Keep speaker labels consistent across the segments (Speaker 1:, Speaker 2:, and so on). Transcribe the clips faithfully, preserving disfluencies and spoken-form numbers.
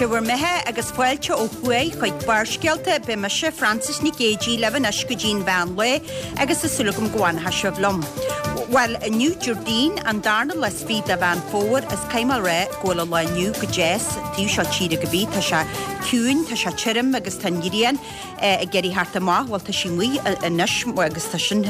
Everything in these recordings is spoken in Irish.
Speaker 1: Sé bhur mbeatha agus fáilte ó thuaidh chuig Barrscéalta. Beidh mise, Frances Nic Géadaigh, libh anois go dtí an mheán lae agus tá súil agam go bhfanfaidh sibh liom. Bhuel, inniu Déardaoin, an darna lá is fiche de Mheán Fómhair, is caithfidh mé a rá go bhfuil an lá inniu go deas, taobh seo tíre go bith, tá sé ciúin, tá sé tirim agus tá an ghrian ag iarraidh theacht amach, bhuel tá sí amuigh anois agus tá sin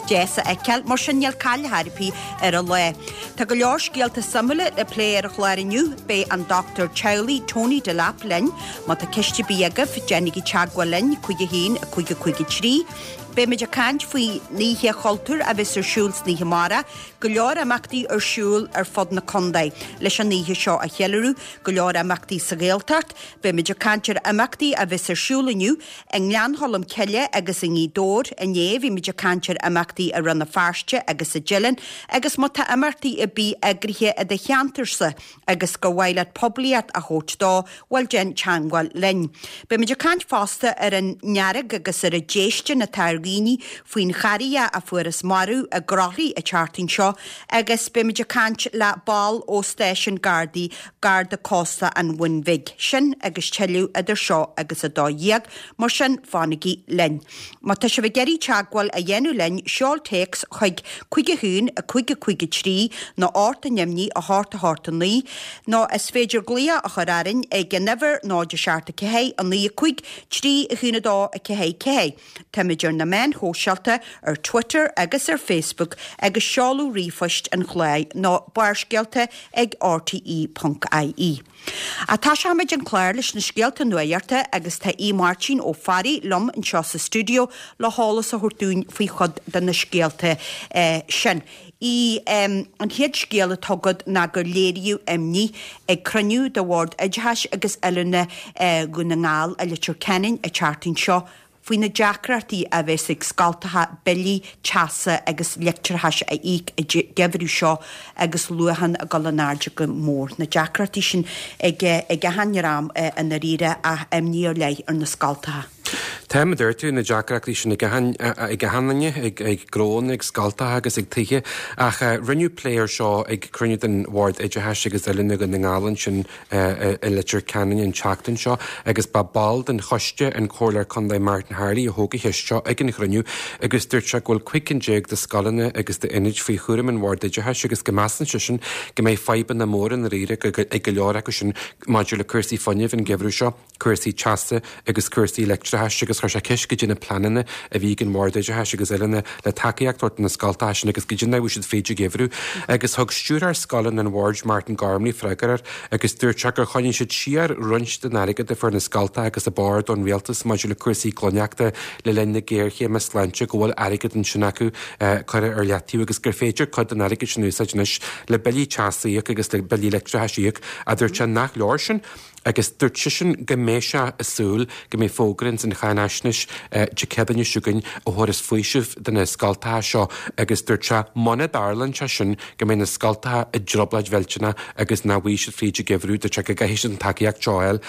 Speaker 1: deas a fheiceáil, mar sin níl caill ar bith ar an lá. Tá go leor scéalta suimiúla le plé ar an chlár inniu, beidh an dochtúir teaghlaigh Tony Delap linn, má tá ceist ar bith agaibh, déanaigí teagmháil linn, cúig a haon, a cúig a cúig a trí. Beimid ag caint faoin Oíche Chultúir a bheas ar siúl san oíche amárach, go leor imeachtaí ar siúl ar fud na contae leis an oíche seo a cheiliúradh, go leor imeachtaí sa Ghaeltacht, beimid ag caint ar imeachtaí a bheas ar siúl inniu i nGleann Cholm Cille agus i nGaoth Dobhair, inné bhí muid ag caint ar imeachtaí i Rann na Feirste agus i dTeileann agus má tá imeachtaí ar bith eagraithe i do cheantarsa agus gur mhaith leat poiblíocht a thabhairt dó, bhuel déan teagmháil linn. Beimid ag caint fosta ar an fhearg agus ar an déistin atá ar dhaoine faoin charria a fuarthas marbh i gCroithlí an tseachtain seo agus beimid ag caint le ball ó stáisiún Gardaí Garda Cósta an Bhun Bhig. Sin agus tuilleadh idir seo agus a dó dhéag, mar sin fanaigí linn. Má tá sibh ag iarraidh teagmháil a dhéanamh linn, seol téacs chuig cúig a haon, a cúig a cúig a trí nó ocht a neamhní, a hocht a hocht a naoi, nó is féidir glaoch a chur orainn ag an uimhir náid a seacht a ceathair, a naoi a cúig, trí a haon a dó a ceathair ceathair. Táimid ar na meáin shóisialta, ar Twitter agus ar Facebook agus seoladh ríomhphoist an chláir ná barrscéalta ag R T E ponc I E. Tosóimid an clár leis na scéalta nuachta agus tá Aodh Máirtín Ó Fearraigh liom anseo sa stiúideo le heolas a thabhairt dúinn faoi chuid de na scéalta sin. Í an chéad scéal atá agat ná gur léiríodh imní ag cruinniú de Bhord Oideachais agus Oiliúna Dhún na nGall i Leitir Ceanainn an tseachtain seo faoi na deacrachtaí a bheas ag scoltacha billí teasa agus leictreachais a íoc an geimhreadh seo agus luachan ag dul in airde go mór. Na deacrachtaí sin ag ag achan dream i ndáiríre ach imní ar leith ar na scoltacha.
Speaker 2: Tá mar a dúirt tú na deacrachtaí sin ag ag achan duine ag ag gnónna ag scoltacha agus ag tithe ach rinneadh plé air seo ag cruinniú den Bhord Oideachais agus Oiliúna Dhún na nGall ansin i Leitir Ceanainn an tseachtain seo agus ba ball den choiste an Comhairleoir Contae Martin Harley a thóg an cheist seo ag an chruinniú agus dúirt sé go bhfuil cúig cinn déag de scoileanna agus d'ionaid faoi chúram an Bhord Oideachais agus go measann seisean go mbeidh fadhbanna móra i ndáiríre ag go leor acu sin maidir le cúrsaí fuinnimh an geimhreadh seo, cúrsaí teasa agus cúrsaí leictreachais agus chuir sé ceist goidé na pleananna a bhí ag an Bhord Oideachais agus Oiliúna le tacaíocht a thabhairt do na scoltacha sin agus goidé mar a bhí siad fríd an gheimhreadh. Agus thug stiúrthóir scoileanna an Bhoird Martin Gormley freagra air agus dúirt sé gur choinnigh siad siar roinnt den airgead a fuair na scoltacha agus an bord ón rialtas maidir le cúrsaí glaineachta le linn na géarchéime sláinte go bhfuil airgead ansin acu curtha ar leataobh agus gur féidir cuid den airgead sin a úsáid anois le billí teasa a íoc agus le billí leictreachais a íoc a dúirt sé nach leor sin agus dúirt seisean go mbeidh sé ag súil go mbeidh fógra ins an cháinaisnéis Dé Céadaoine seo chugainn a thabharfas faoiseamh do na scoltacha seo agus dúirt sé muna dtarlaíonn sé sin go mbeidh na scoltacha i dtrioblóid mhillteanach agus nach bhfaighidh siad fríd an gheimhreadh dúirt sé go gcaithfidh siad an tacaíocht seo a fháil.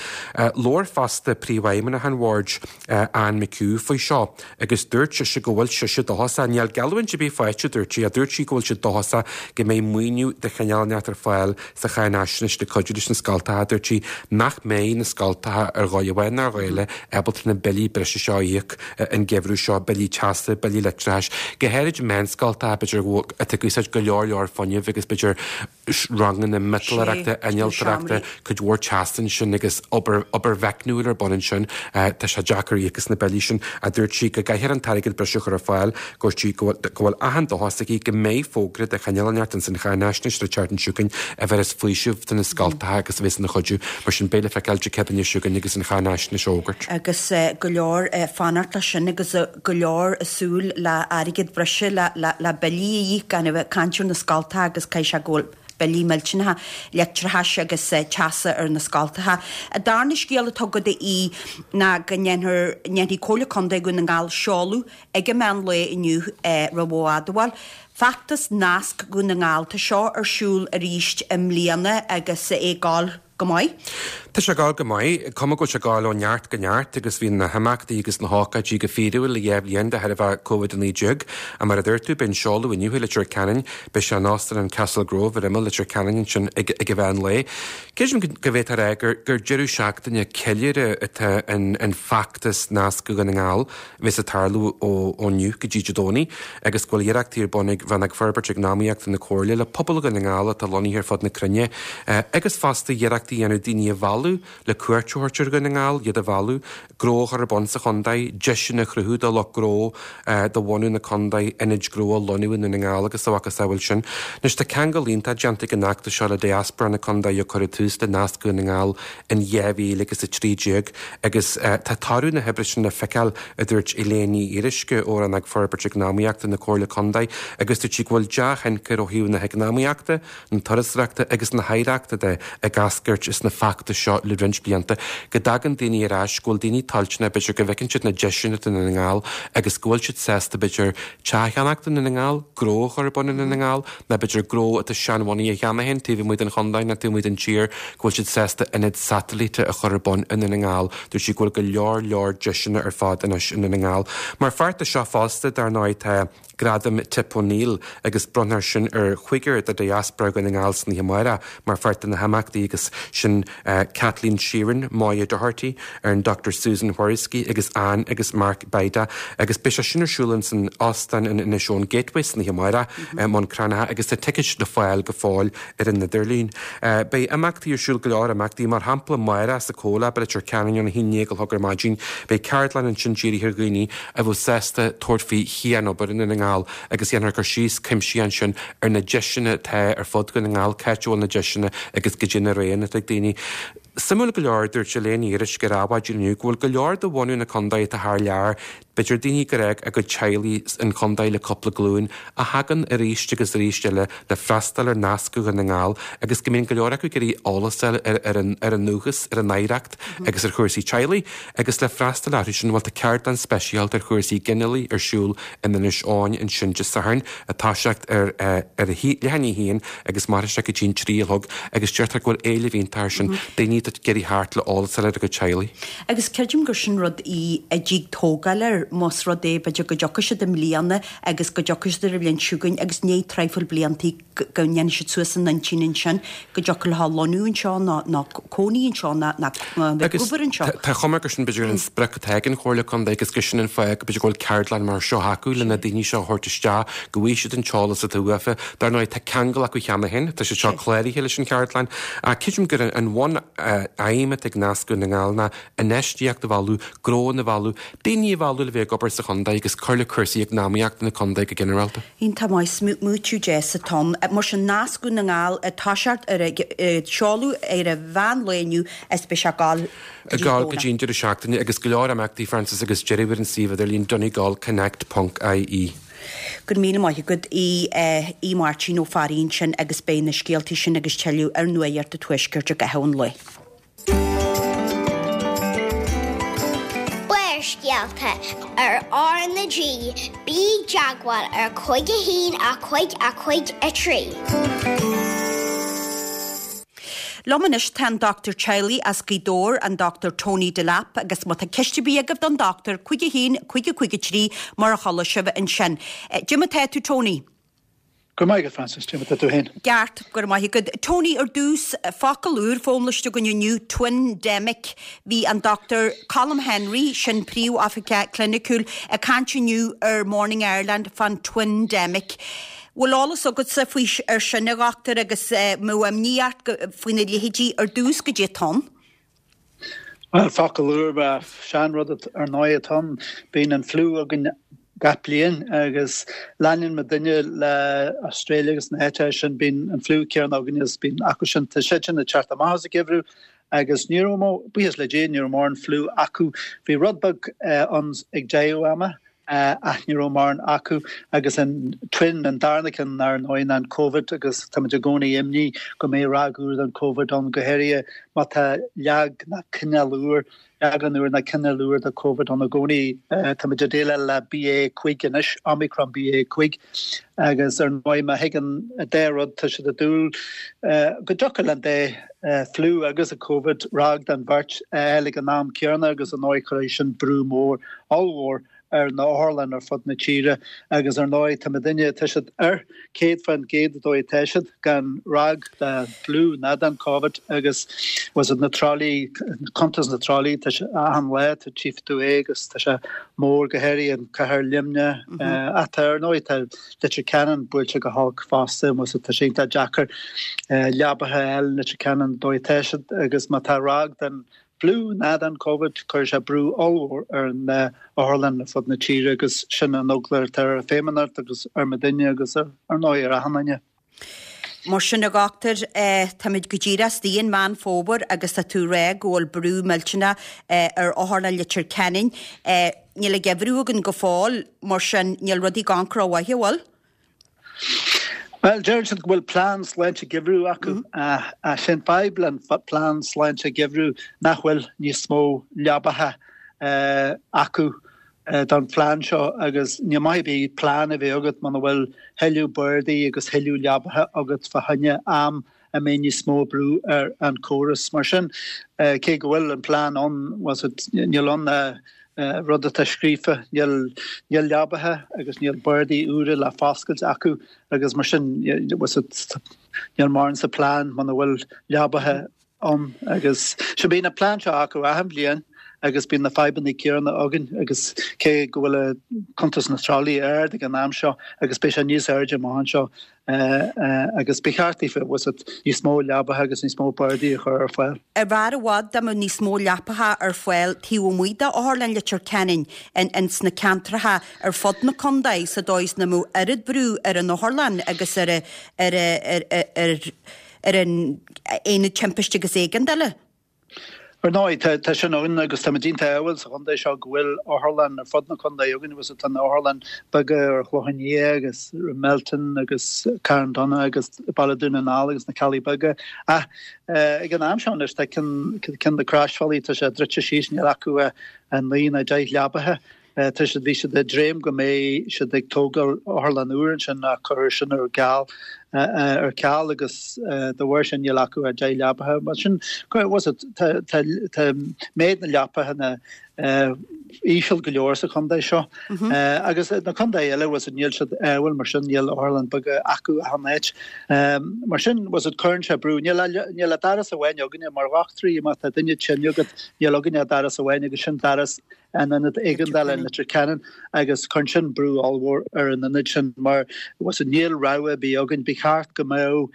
Speaker 2: Labhair fosta príomhfheidhmeannach an bhoird Anne McHugh faoi seo agus dúirt sise go bhfuil sise dóchasach níl geallúint ar bith faighte dúirt sí a dúirt sí go bhfuil sí dóchasach go mbeidh maoiniú de chineál inteacht ar fáil sa cháinaisnéis le cuidiú leis na scoltacha dúirt sí nach mbeidh na scoltacha ar dhóigh amháin nó ar dhóigh eile ábalta na billí breise seo a íoc an geimhreadh seo billí teasa billí leictreachais go háirid meánscoltacha b'fhéidir atá ag úsáid go leor leor fuinnimh agus b'fhéidir ranganna miotalóireachta innealtóireachta cuid mhór teasa ansin agus obair obair mheicniúil ar bun ansin tá sé deacair íoc as na billí sin a dúirt sí go gcaithfear an t-airgead breise a chur ar fáil dúirt sí go bhfuil achan dóchas aici go mbeidh fógra de chineál inteacht ins an cháinaisnéis an tseachtain seo chugainn a bhéarfas faoiseamh do na scoltacha agus a bheas ina chuidiú mar sin beidh le feiceáil Dé Céadaoine seo chugainn agus an cháinaisnéis á fhógairt.
Speaker 1: Agus go leor fanacht leis sin agus go leor ag súil le airgead breise le le billí a íoc gan a bheith ag caint ar na scoltacha agus caithfidh sé go bhfuil billí millteanacha leictreachais agus teasa ar na scoltacha. An darna scéal atá agat a Aoidh ná go ndéanfar ndéanfaidh Comhairle Contae Dhún na nGall seoladh ag an meán lae inniu roimh admháil. Feachtas Nasc Dhún na nGall tá seo ar siúl arís i mbliana agus é ag gabháil go maith.
Speaker 2: Tá sé ag gabháil go maith, cuma go bhfuil sé ag gabháil ó neart go neart agus bhí na himeachtaí agus na hócáidí go fíorúil le dhá bhliain de thairbhe Covid a naoi déag. Ach mar a dúirt tú, beidh an seoladh inniu i Leitir Ceanainn, beidh sé in Óstán an Castle Grove ar imeall Leitir Ceanainn ansin ag ag an mheán lae. Creidim go bhféadfá a rá gur gur deireadh seachtaine ceiliúrtha atá in an feachtas Nascadh Dhún na nGall a bheas ag tarlú ó ó inniu go dtí Dé Domhnaigh agus go bhfuil iarrachtaí ar bun ag Rannóg Forbairt Eacnamaíochta na Comhairle le pobal Dhún na nGall atá lonnaithe ar fud na cruinne agus fosta iarrachtaí a dhéanamh daoine a mhealladh le cuairt a thabhairt ar Dhún na nGall, iad a mhealladh, gnó a chur ar bun sa chontae, deiseanna a chruthú do lucht gnó de bhunadh na contae, ionaid gnó a lonnú i nDún na nGall agus a mhacasamhail sin. Anois tá ceangal iontach déanta ag an fheachtas seo le diaspora na contae a cuireadh tús le Nascadh Dhún na nGall in dhá mhíle agus a trí déag agus tá toradh na hoibre sin le feiceáil, a dúirt Elaine Ní Fhíoruisce ó Rannóg Forbairt Eacnamaíochta na Comhairle Contae agus dúirt sí go bhfuil dea-thionchar ó thaobh na heacnamaíochta, na turasóireachta agus na hoidhreachta de ag eascairt as na feachtais seo le roinnt blianta, go dtagann daoine ar ais, go bhfuil daoine toilteanach, b'fhéidir go bhfeiceann siad na deiseanna i nDún na nGall agus go bhfuil siad sásta b'fhéidir teach a cheannacht i nDún na nGall, gnó a chur ar bun i nDún na nGall, nó b'fhéidir gnó atá seanbhunaithe cheana féin taobh amuigh den chontae nó taobh amuigh den tír, go bhfuil siad sásta ionad satailíte a chur ar bun i nDún na nGall. Dúirt sí go bhfuil go leor leor deiseanna ar fad anois i nDún na nGall. Mar pháirt de seo fosta, dar ndóigh, tá Gradam Tip O'Neill agus bronnfar sin ar chúigear de diaspora Dhún na nGall san oíche amárach mar pháirt de na himeachtaí agus sin Kathleen Sheeran, Moya Doherty, ar an Dochtúir Susan Whoriskey agus Anne agus Mark Bida agus beidh sé sin ar siúl in san óstán in Inishowen Gateway san oíche amárach i mBun Cranncha agus tá ticéid le fáil go fóill ar an idirlíon. Beidh imeachtaí ar siúl go leor imeachtaí mar shampla amárach sa Comhlab i Leitir Ceanainn óna haon déag a chlog ar maidin. Beidh ceardlann ansin dírithe ar dhaoine a bheadh sásta tabhairt faoi chianobair i nDún na nGall agus dhéanfar cur síos cuimsitheach ansin ar na deiseanna atá ar fud Dhún na nGall, cá háit a bhfuil na deiseanna agus goidé na roghanna atá ag daoine. Suimiúil go leor, dúirt Elaine Ní Fhíoruisce ar Adhmhaidin inniu go bhfuil go leor de bhunadh na contae atá thar lear, b'fhéidir daoine gur fhág a gcuid teaghlaigh an chontae le cúpla glúin, a thagann arís agus arís eile le freastal ar Nascadh Dhún na nGall agus go mbíonn go leor acu ag iarraidh eolas a fháil ar an ar an ndúchas, ar an oidhreacht agus ar chúrsaí teaghlaigh agus le freastal orthu sin, bhuel tá ceardlann speisialta ar chúrsaí ginealaigh ar siúl in Inis Eoghain ansin Dé Sathairn ag toiseacht ar ar a leath i ndiaidh a haon agus mairfidh sé go dtí an trí a chlog agus deirtear go bhfuil éileamh iontach air sin, daoine atá ag iarraidh theacht le eolas a fháil ar a gcuid teaghlaigh.
Speaker 1: Agus creidim gur sin rud í a dtig tógáil air más rud é b'fhéidir go dtiocfaidh siad i mbliana agus go dtiocfaidh siad ar an bhliain seo chugainn agus ní traidhfil bliantaí go ndéanfaidh siad suas a n-intinn ansin go dtiocfadh leo lonnú anseo nó nó cónaí anseo nó nó bheith ag obair anseo.
Speaker 2: Tá chuma gur sin b'fhéidir an sprioc atá ag an Chomhairle Contae agus gur sin an fáth go b'fhéidir go bhfuil ceardlann mar seo acu le na daoine seo a thabhairt isteach, go bhfaighidh siad an t-eolas atá uafa. Dar ndóigh tá ceangal acu cheana féin, tá siad seo cláraithe leis an cheardlann. Ach creidim gur an bhun aidhm atá ag Nascadh Dhún na nGall ná infheistíocht a mhealladh, gnóanna a mhealladh, daoine a mhealladh le bheith ag obair sa chontae agus cur le cúrsaí eacnamaíochta na contae go ginearálta.
Speaker 1: Iontach maith, smaoitiú deas atá ann. Mar sin Nascadh Dhún na nGall ag toiseacht ar a seoladh ar an mheán lae inniu is beidh sé ag gabháil
Speaker 2: Ag gabháil go dtí an deireadh seachtaine agus go leor imeachtaí Frances agus deireadh ar an suíomh idirlín donegalconnect ponc ie.
Speaker 1: Go raibh míle maith agat a Mháirtín Ó Fearraigh ansin agus beidh na scéaltaí sin agus tuilleadh ar Nuacht an Tuaiscirt i gcaitheamh an lae.
Speaker 3: Barrscéalta ar R na G, bí i dteagmháil ar cúig a haon a cúig a cúig a trí.
Speaker 1: Liom anois tá an dochtúir teaghlaigh as Gaoth Dobhair, an Dochtúir Tony Delap, agus má tá ceist ar bith agaibh don dochtúir, cúig a haon, cúig a cúig a trí, mar a chuala sibh ansin. Cad é mar atá tú Tony?
Speaker 4: Go raibh maith agat Frances, cad é mar atá tú féin?
Speaker 1: Ceart, go raibh maith agat. Tony, ar dtús, focal úr foghlamtha againn inniu, twindemic. Bhí an Dochtúir Colm Henry, sin príomhoifigeach cliniciúil, ag caint inniu ar Morning Ireland fán twindemic. Bhfuil eolas agatsa faoi ar sin a dhochtúir agus mbeadh imní ort faoina leithéidí ar dtús goidé atá ann?
Speaker 4: Bhuel, focal úr, seanrud ar ndóigh atá ann. Bíonn an fliú againn gach bliain agus leanann muidinne le Australia agus na háiteacha sin, bíonn an fliú céanna againn is bíonn acu sin. Tá siad sin ag teacht amach as an gheimhreadh agus ní raibh, buíochas le Dia, ní raibh mórán fliú acu. Bhí rud beag ann ag deireadh ama. Ach ní raibh mórán acu agus an twin, an darna ceann ar ndóigh ná an Covid agus táimid i gcónaí imní go mbeidh ráig úr den Covid ann, go háirithe má tá leag ná cineál úr, leagan úr ná cineál úr de Covid ann i gcónaí. Táimid ag déileáil le B A cúig anois, Omicron B A cúig, agus ar ndóigh má thigeann an dá rud tá siad ag dúil go dtiocfadh le an dá fliú agus an Covid ráig den bheirt a fháil ag an am céanna agus ar ndóigh cuirfidh sin brú mór, ollmhór ar na hotharlanna ar fud na tíre agus ar ndóigh tá muidinne, tá siad ar céad faoin gcéad an dóigh atá siad gan ráig den fhliú ná den Covid agus was it na tralaí, cuntas na tralaí, tá sé achan lá, tá tchífidh tú é agus tá sé mór go háirithe in cathair Luimnigh ach tá ar ndóigh tá Leitir Ceanainn buailte go holc fosta was it tá sé iontach deacair leabaithe a fháil in Leitir Ceanainn an dóigh atá siad agus má tá ráig den fliú ná den Covid, cuirfidh sé brú ollmhór ar na otharlanna ar fud na tíre agus sin an eagla atá ar an Feidhmeannacht agus ar muidinne agus ar ndóigh ar achan duine.
Speaker 1: Mar sin, a dhochtúir, táimid go díreach istigh in Meán Fómhair agus tá tú ag rá go bhfuil brú millteanach ar Otharlann Leitir Ceanainn. Níl an geimhreadh againn go fóill, mar sin níl rudaí ag amharc rómhaith, an bhfuil?
Speaker 4: Bhuel, deireann siad go bhfuil plean sláinte geimhridh acu. Ach sin fadhb le an plean sláinte geimhridh nach bhfuil níos mó leabaithe acu don phlean seo agus ní maith ar bith plean a bheith agat muna bhfuil thuilleadh bardaí agus thuilleadh leabaithe agat fá choinne am a mbeidh níos mó brú ar an córas. Mar sin, cé go bhfuil an plean ann, níl ann rud atá scríofa, níl níl leabaithe agus níl bardaí úra le foscailt acu agus mar sin níl mórán sa plean muna bhfuil leabaithe ann agus so bíonn an plean seo acu achan bhliain agus bíonn na fadhbanna céanna againn agus cé go bhfuil cuntas na tralaí ard ag an am seo agus beidh sé níos airde amach anseo agus ba cheart daofa níos mó leabaithe agus níos mó bardaí a chur ar fáil.
Speaker 1: Ar bhfearr i bhfad dá mbeadh níos mó leapacha ar fáil taobh amuigh d'Otharlann Leitir Ceanainn ins na ceantracha ar fud na contae sa dóigh is nach mbeadh oiread brú ar an otharlann agus ar ar ar ar an aonad timpiste agus éigeandála?
Speaker 4: Ar ndóigh, tá sin ann agus táimid iontach ádhúil sa chontae seo go bhfuil otharlann ar fud na contae againn agus tá na otharlann beaga ar an Chlochán Liath agus Rathmelton agus Carndonagh agus Baile Dún na nGall agus na Ceallaigh Beaga. Ach ag an am seo anois tá ceann de na Croisbhealaí, tá sé druidte síos, níl acu ach naoi nó deich leabaithe. Tá siad, bhí siad ag dréim go mbeidh siad ag tógáil otharlann úr ansin ach cuireadh sin ar ceal ar ceal agus de bharr sin níl acu ach deich leapaithe. Mar sin, was it, tá tá tá méid na leapaithe íseal go leor sa chontae seo agus na contae eile was it níl siad ádhúil mar sin níl otharlann beaga acu achan áit. Mar sin was it cuireann sé brú. Níl níl ach doras amháin againne mar dhochtúirí má tá duine tinn agat níl againne ach doras amháin agus sin doras an ionad éigeandála in Leitir Ceanainn agus cuireann sin brú ollmhór ar an ionad sin mar was it níl rogha ar bith againn, ba cheart go mbeadh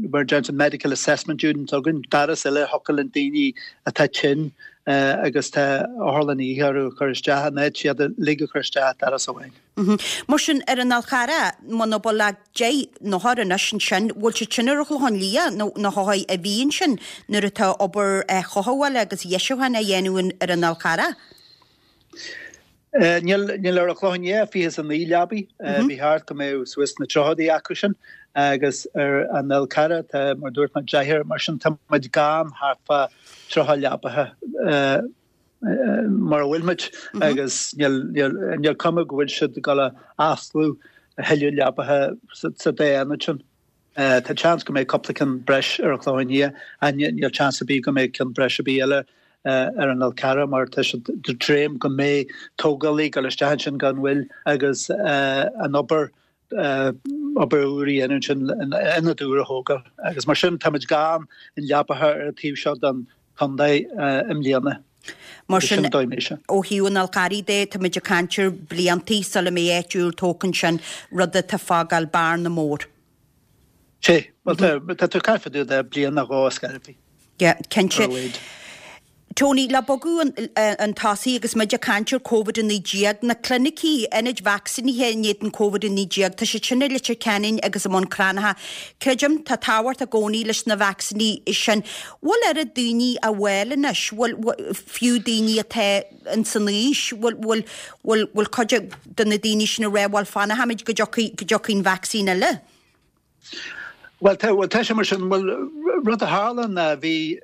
Speaker 4: mar a deireann siad medical assessment unit againn, doras eile a thiocfadh linn daoine atá tinn agus tá otharlann oíche orthu a chur isteach in áit iad uilig a chur isteach doras amháin.
Speaker 1: Mar sin ar an Fhál Charrach, muna bhfuil ach deich n-othar anois ansin, bhfuil siad sin ar an Chlochán Liath nó na hothair a bhí ansin nuair atá obair chothabhála agus dheisiúcháin á dhéanamh ar an Fhál Charrach?
Speaker 4: Níl níl ar an Chlochán Liath fiche is a naoi leabaí, ba cheart go mbeadh suas sna tríochaidí acu sin agus ar an Fhál Carrach tá mar dúirt mé deichniúr, mar sin tá muid gann thart fá tríocha leabaithe mar a bhfuil muid agus níl níl níl cuma go bhfuil siad ag dul a osclú a thuilleadh leabaithe sa dá ionad sin. Tá seans go mbeidh cúpla ceann breis ar an Chlochán Liath ach níl seans ar bith go mbeidh ceann breis ar bith eile ar an Fhál Carrach mar tá siad ag dréim go mbeidh tógálaí ag dul isteach ansin gan mhoill agus an obair obair úr a dhéanamh ansin, ionad úr a thógáil agus mar sin táimid gann in leapacha ar an taobh seo den chontae i mbliana.
Speaker 1: Mar sin, ó thaobh an Fhál Charraigh de, táimid ag caint ar bliantaí sula mbeidh áit úr tógtha ansin, rud atá ag fágáil bearna mór.
Speaker 4: Sea, bhuel tá tú ag caint fá dtaobh de bliain nó dhó ar scor ar bith.
Speaker 1: Yeah, cinnte. Tony, le bogadh chun tosaigh agus muid ag caint ar Covid a naoi déag, na clinicí, ionaid vacsaínithe in éadan Covid a naoi déag, tá siad sin i Leitir Ceanainn agus i mBun Cranncha. Creidim, tá tábhacht i gcónaí leis na vacsaíní sin. Bhfuil oiread daoine á bhfáil anois, bhfuil, fiú daoine atá in san aois, bhfuil, bhfuil, bhfuil, bhfuil cuid de na daoine sin ag rá, bhuel fanfaimid go dtiocfaidh, go dtiocfaidh an vacsaín eile?
Speaker 4: Bhuel, tá, bhuel, tá sé mar sin, bhuel, rud a tharla ná bhí,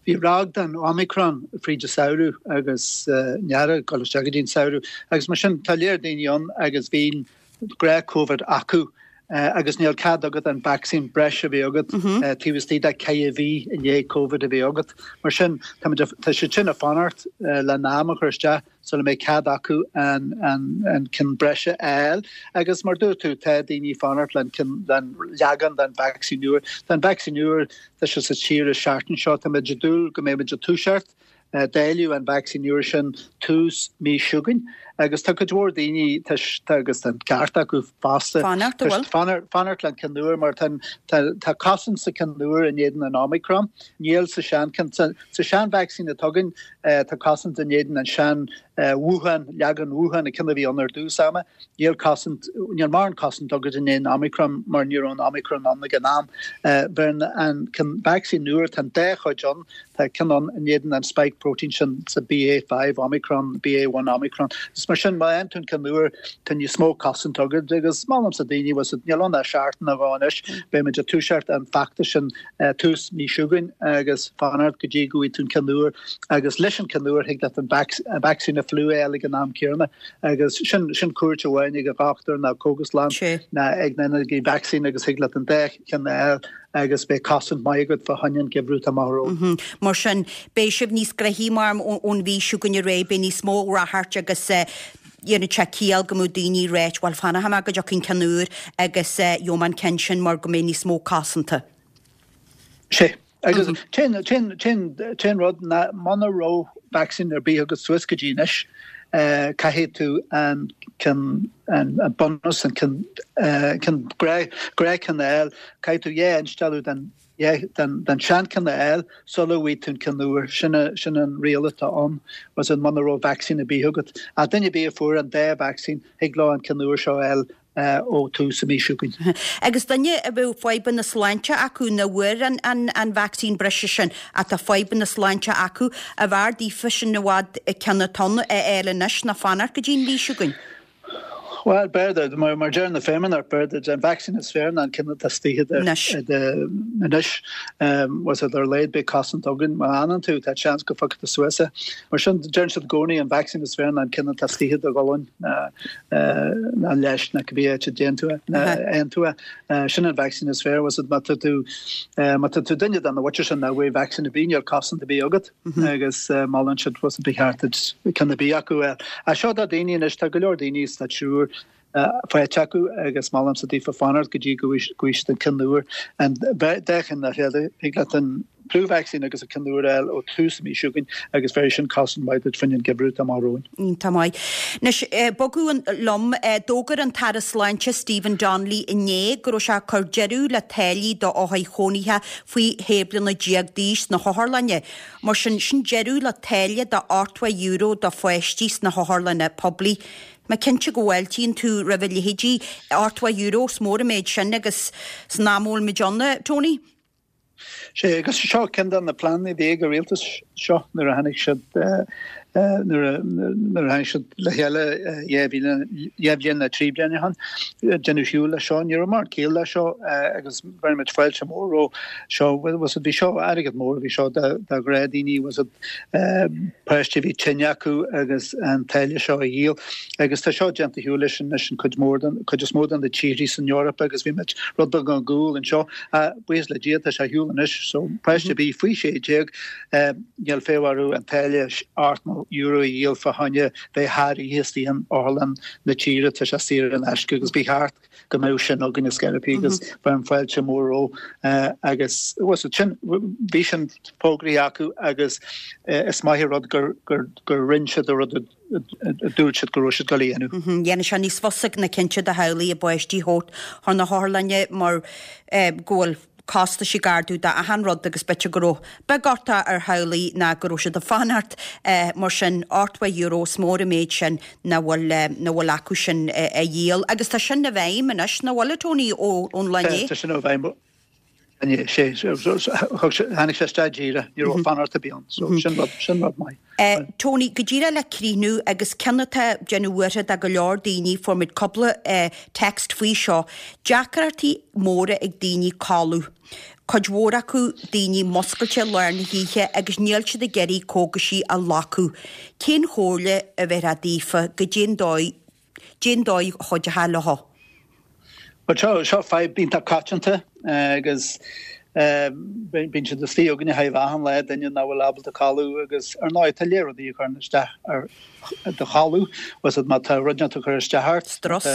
Speaker 4: bhí ráig den Omicron fríd an samhradh agus an earrach ag dul isteach go dtí an samhradh agus mar sin tá léir daoine ann agus bhí gnáth Covid acu agus níl cead agat an vacsaín breise a bheith agat taobh istigh de ceithre mhí i ndiaidh Covid a bheith agat. Mar sin, tá tá siad sin ag fanacht le n-am a chur isteach sula mbeidh cead acu an an ceann breise a fháil agus mar dúirt tú tá daoine fanacht le an leagan den vacsaín úr. Tá an vacsaín úr tá sé sa tír an seachtain seo tá muid ag dúil go mbeidh muid ag toiseacht dáileadh an vacsaín úr sin tús mí seo chugainn agus tá cuid mhór daoine tá agus an ceart acu fosta
Speaker 1: Fanacht a bhfuil?
Speaker 4: fanacht le an ceann úr mar tá tá cosaint sa ceann úr in éadan an Omicron níl sa sean sa sean vacsaín atá againn tá cosaint in éadan an sean Wuhan leagan Wuhan a ceann a bhí ann ar dtús ama níl cosaint níl mórán cosaint agat in éadan Omicron mar ní raibh an Omicron ann ag an am bheireann an ceann vacsaín úr tá an dá chuid ann tá ceann ann in éadan an spike protein sin sa B A five Omicron B A one Omicron Is mar sin má fhaigheann tú an ceann úr tá níos mó cosaint agat agus molaimse daoine was níl ann ach seachtain nó dhó anois beimid ag toiseacht an feachtas sin tús mí seo chugainn agus fanacht go dtí go bhfaighidh tú an ceann úr agus leis an ceann úr thig leat an vacsaín na fliú a fháil ag an am céanna agus sin sin cuairt amháin ag an dhochtúir nó cógaslann ná ag na ag vacsaín agus thig leat an dá cheann a fháil agus beidh cosaint maith agat fá choinne an geimhreadh atá amach romhainn.
Speaker 1: Mar sin, beidh sibh níos gnoithí mar ón mhí seo chugainn ar aghaidh, beidh níos mó ráchairt agus dhéanfaidh sé ciall go mbeadh daoine ag ráit, bhuel fanfaidh mé go dtiocfaidh an ceann úr agus gheobhaidh mé an ceann sin mar go mbeidh níos mó cosanta.
Speaker 4: Sé. Agus t-aon rud ná muna raibh vacsaín ar bith agat suas go dtí anois, caithfidh tú an ceann, an bunús, an ceann, ceann gnáthcheann a fháil, caithfidh tú dhá instealladh den, den seancheann a fháil sula bhfaighidh tú an ceann úr. Sin, sin an riail atá ann, was muna raibh vacsaín ar bith agat. Ach duine ar bith a fuair an dá vacsaín, thig leo an ceann úr seo a fháil ó tús an mhí seo chugainn.
Speaker 1: Agus duine a bheadh fadhbanna sláinte acu nach bhfuair an, an, an vacsaín breise sin, ach tá fadhbanna sláinte acu, arbh fhearr daofa sin i bhfad ceann atá ann a fháil anois ná fanacht go dtí an mhí seo chugainn?
Speaker 4: Bhuel, b'fhéidir, mar, mar deir na feidhmeannaigh, b'fhéidir an vacsaín is fearr ná an ceann atá istigh
Speaker 1: Anois.
Speaker 4: anois. Was ar a laghad beidh cosaint againn má fhanann tú, tá seans go bhfaighidh tú suas é. Mar sin, deireann siad i gcónaí an vacsaín is fearr ná an ceann atá istigh i do ghualainn. ná leis ná cibé áit a dtéann tú, aon tú é. Sin an vacsaín is fearr, was má tá tú, má tá tú duine den mhuintir sin nach bhfuil vacsaín ar bith, níl cosaint ar bith agat agus molann siad was ba cheart duit ceann ar bith acu a fháil. Ach seo do daoine anois, tá go leor daoine sa triúr faighte acu agus molaimse daofa fanacht go dtí go bhfaighidh siad an ceann úr. An dá cheann le chéile, thig leat an flu vaccine agus an ceann úr a fháil ó tús an mhí seo chugainn agus bheir sin cosaint mhaith duit faoin ngeimhreadh atá amach romhainn.
Speaker 1: Iontach maith. Anois, bogadh liom, d'fhógair an tAire Sláinte Stephen Donnelly inné go raibh sé ag cur deireadh le táillí do othair chónaithe faoi shé bliana déag d'aois sna hotharlanna. Mar sin, sin deireadh le táille de ochtó euro do pháistí sna hotharlanna poiblí. Mé cinnte go bhfáiltíonn tú roimh a leithéidí, ochtó euro, is mór an méid sin agus san am a bhfuil muid ann, Tony.
Speaker 4: Sé, agus seo ceann de na pleananna a bhí ag an rialtas seo nuair a tháinig siad nuair a nuair a tháinig siad le chéile dhá mhíle dhá bhliain nó trí bliana ó shin. Deineadh siúl leis seo, ní raibh mórán ciall leis seo agus bheirimid fáilte mór roimh seo. Was it bhí seo airgead mór a bhí seo do do ghnáthdhaoine was it páistí a bhí tinn acu agus an táille seo a dhíol agus tá seo déanta shiúl leis anois an cuid mór den cuid is mó de na tíorthaí san Eoraip agus bhí muid rud beag ar gcúl anseo. Buíochas le Dia tá sé ar shiúl anois so páiste ar bith faoi sé déag níl feidhm orthu an táille ochtó euro a dhíol fá choinne bheith thar oíche istigh in otharlann na tíre tá sé saor in aisce agus ba cheart go mbeadh sin againn ar scor ar bith agus bheirim fáilte mór roimh agus was it sin bhí sin fógraithe acu agus is maith an rud gur gur gur rinne siad an rud a dúirt siad go raibh siad ag dul a dhéanamh.
Speaker 1: Dhéanfaidh sé níos fusa na cinnte do theaghlaigh a bpáistí a thabhairt chun na hotharlainne mar go bhfuil costais ag ardú d'achan rud agus b'fhéidir go raibh beag orthu ar theaghlaigh ná go raibh siad ag fanacht mar sin ochtó euro is mór an méid sin nach bhfuil nach bhfuil acu sin a dhíol agus tá sin i bhfeidhm anois nach bhfuil a Tony ó ón lá inné?
Speaker 4: Tá sin i bhfeidhm inné sé tháinig sé isteach díreach ní raibh fanacht ar bith ann so sin rud sin rud maith.
Speaker 1: Tony, go díreach le críochnú agus ceann atá ag déanamh buartha do go leor daoine, fuair muid cúpla text faoi seo, deacrachtaí móra ag daoine codladh. Cuid mhór acu daoine muscailte lár na hoíche agus níl siad ag iarraidh cógaisí a ghlacadh. Cén chomhairle a bheifeá daofa, goidé an dóigh, goidé an dóigh a chuideochthá leo?
Speaker 4: Bhuel seo, seo fadhb iontach coitianta agus bíonn siad istigh againne chomh achan lá, duine nach bhfuil ábalta codladh agus ar ndóigh tá lear rudaí a chuireann isteach ar do chodladh, bhfuil fhios agat má tá rud inteacht ag cur isteach ort,
Speaker 1: Strus.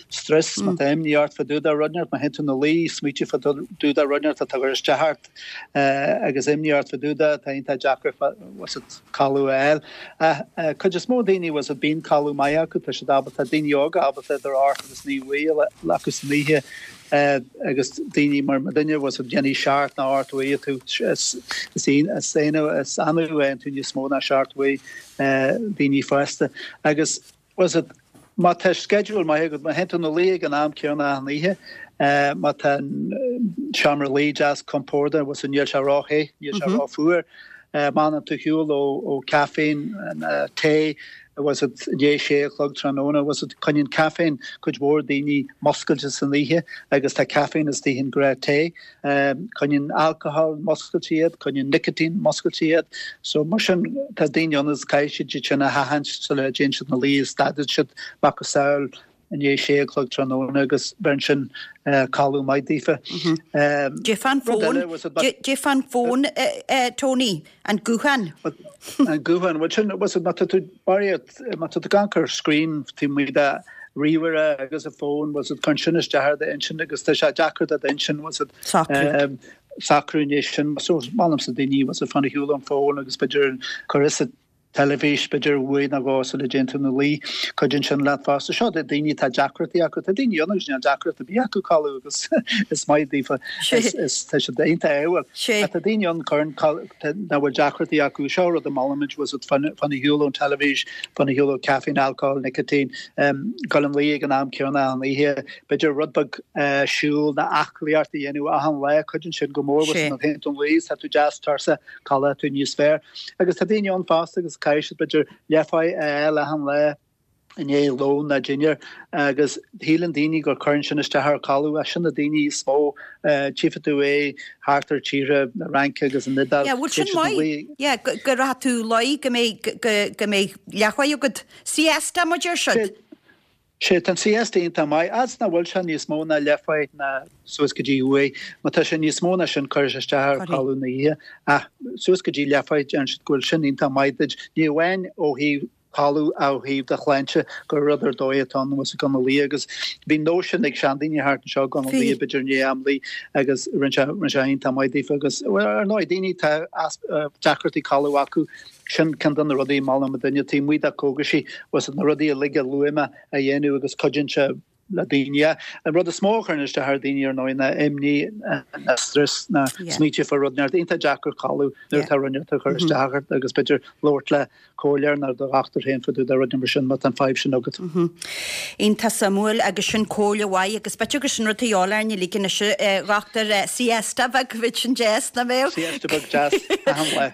Speaker 4: strus, má tá imní ort fá dtaobh de rud inteacht, má théann tú na luí, smaoitiú fá dtaobh de rud inteacht atá ag cur isteach ort agus imní ort fá dtaobh de, tá iontach deacair bhfuil fhios agat codladh a fháil. Ach cuid is mó daoine bhfuil fhios agat bíonn codladh maith acu, tá siad ábalta, daoine óga ábalta idir ocht agus naoi uair a ghlacadh san oíche agus daoine mar mo dhuine bhfuil fhios agat déanfaidh seacht nó ocht uair tú is is is is annamh a fhaigheann tú níos mó ná seacht uair daoine fásta agus bhfuil fhios agat má tá schedule maith agat má théann tú na luí ag an am céanna achan oíche má tá an seomra luí deas compordach bhfuil fhios agat níl sé ró-the níl sé rófhuar má fhanann tú ar shiúl ó ó caiféin tae bhfuil fhios agat i ndiaidh sé a chlog tráthnóna bhfuil fhios agat coinníonn caiféin cuid mhór daoine muscailte san oíche agus tá caiféin istigh in gnáth tae. Coinníonn alcohol muscailte iad, coinníonn nicotine muscailte iad. So mar sin tá daoine ann is caithfidh siad iad sin a sheachaint sula dtéann siad na luí is stadann siad macasamhail i ndiaidh sé a chlog tráthnóna agus beireann sin codladh maith daofa.
Speaker 1: Goidé fán fón, goidé fán fón, Tony, an guthán.
Speaker 4: An guthán, bhuel sin, bhfuil fhios agat má tá tú barraíocht, má tá tú ag amharc ar screen taobh amuigh de ríomhaire agus an fón, bhfuil fhios agat cuireann sin isteach ar d'intinn agus tá sé deacair do d'intinn, bhfuil fhios agat, socrú i ndiaidh sin. So molaimse daoine, bhfuil fhios agat fan ar shiúl ón fón agus b'fhéidir cuir sa teilifís, b'fhéidir uair nó dhó sula dtéann tú na luí, cuidíonn sin leat fosta. Seo do daoine atá deacrachtaí acu, tá daoine ann agus níl deacracht ar bith acu codladh agus is maith daofa, is tá siad iontach ádhúil. Ach tá daoine ann cuireann nach bhfuil deacrachtaí acu, seo rud a molaimid, bhfuil fhios agat fan ar shiúl ón teilifís, fan ar shiúl ó caiféin, alcohol, nicotine, dul ina luí ag an am céanna achan oíche, b'fhéidir rud beag siúl nó aclaíocht a dhéanamh achan lá, cuidíonn sin go mór, bhfuil fhios agat má théann tú ina luí, tá tú deas tuirseach, codlóidh tú níos fearr. Agus tá daoine ann fosta agus caithfidh siad b'fhéidir leathpháigh a fháil achan lá i ndiaidh lón nó dinnéar agus shíleann daoine gur cuireann sin isteach ar codladh ach sin na daoine is mó tchífidh tú é thart ar tíortha na Fraince agus an Iodáil.
Speaker 1: Yeah, bhfuil sin maith? Yeah, go go rachaidh tú luí go mbeidh go go mbeidh leathpháigh agat. Siesta mar a deir siad.
Speaker 4: Sea, tá an siesta iontach maith, fhad is nach bhfuil sé níos mó ná leathpháigh ná suas go dtí uair. Má tá sé níos mó ná sin cuirfidh sé isteach ar chodladh na hoíche. Ach suas go dtí leathpháigh deireann siad go bhfuil sin iontach maith duit, ní amháin ó thaobh codladh ach ó thaobh do shláinte, gur rud ar dóigh atá ann bhfuil fhios agat dul na luí agus bhí an nós sin ag seandaoine thart anseo dul na luí b'fhéidir i ndiaidh am luí agus rinne sé rinne sé iontach maith daofa agus bhuel ar ndóigh daoine atá deacrachtaí codladh acu Sin ceann de na rudaí a molaim do dhuine taobh amuigh de cógaisí, bhfuil fhios agat na rudaí uilig a luaigh mé a dhéanamh agus cuidíonn sé le daoine. An rud is mó a chuireann isteach ar dhaoine ar ndóigh ná imní, ná strus, ná smaoitiú fá rud inteacht. Iontach deacair codladh nuair atá rud inteacht ag cur isteach ort agus b'fhéidir labhairt le comhairleoir nó do dhochtúir féin fá dtaobh de rud mar sin má tá an fadhb sin agat.
Speaker 1: Iontach suimiúil agus sin comhairle mhaith agus b'fhéidir gur sin rud a dhíobháil orainn uilig anois a dhochtúir, siesta beag bheadh sin deas, nach mbeadh?
Speaker 4: Siesta beag deas achan lá.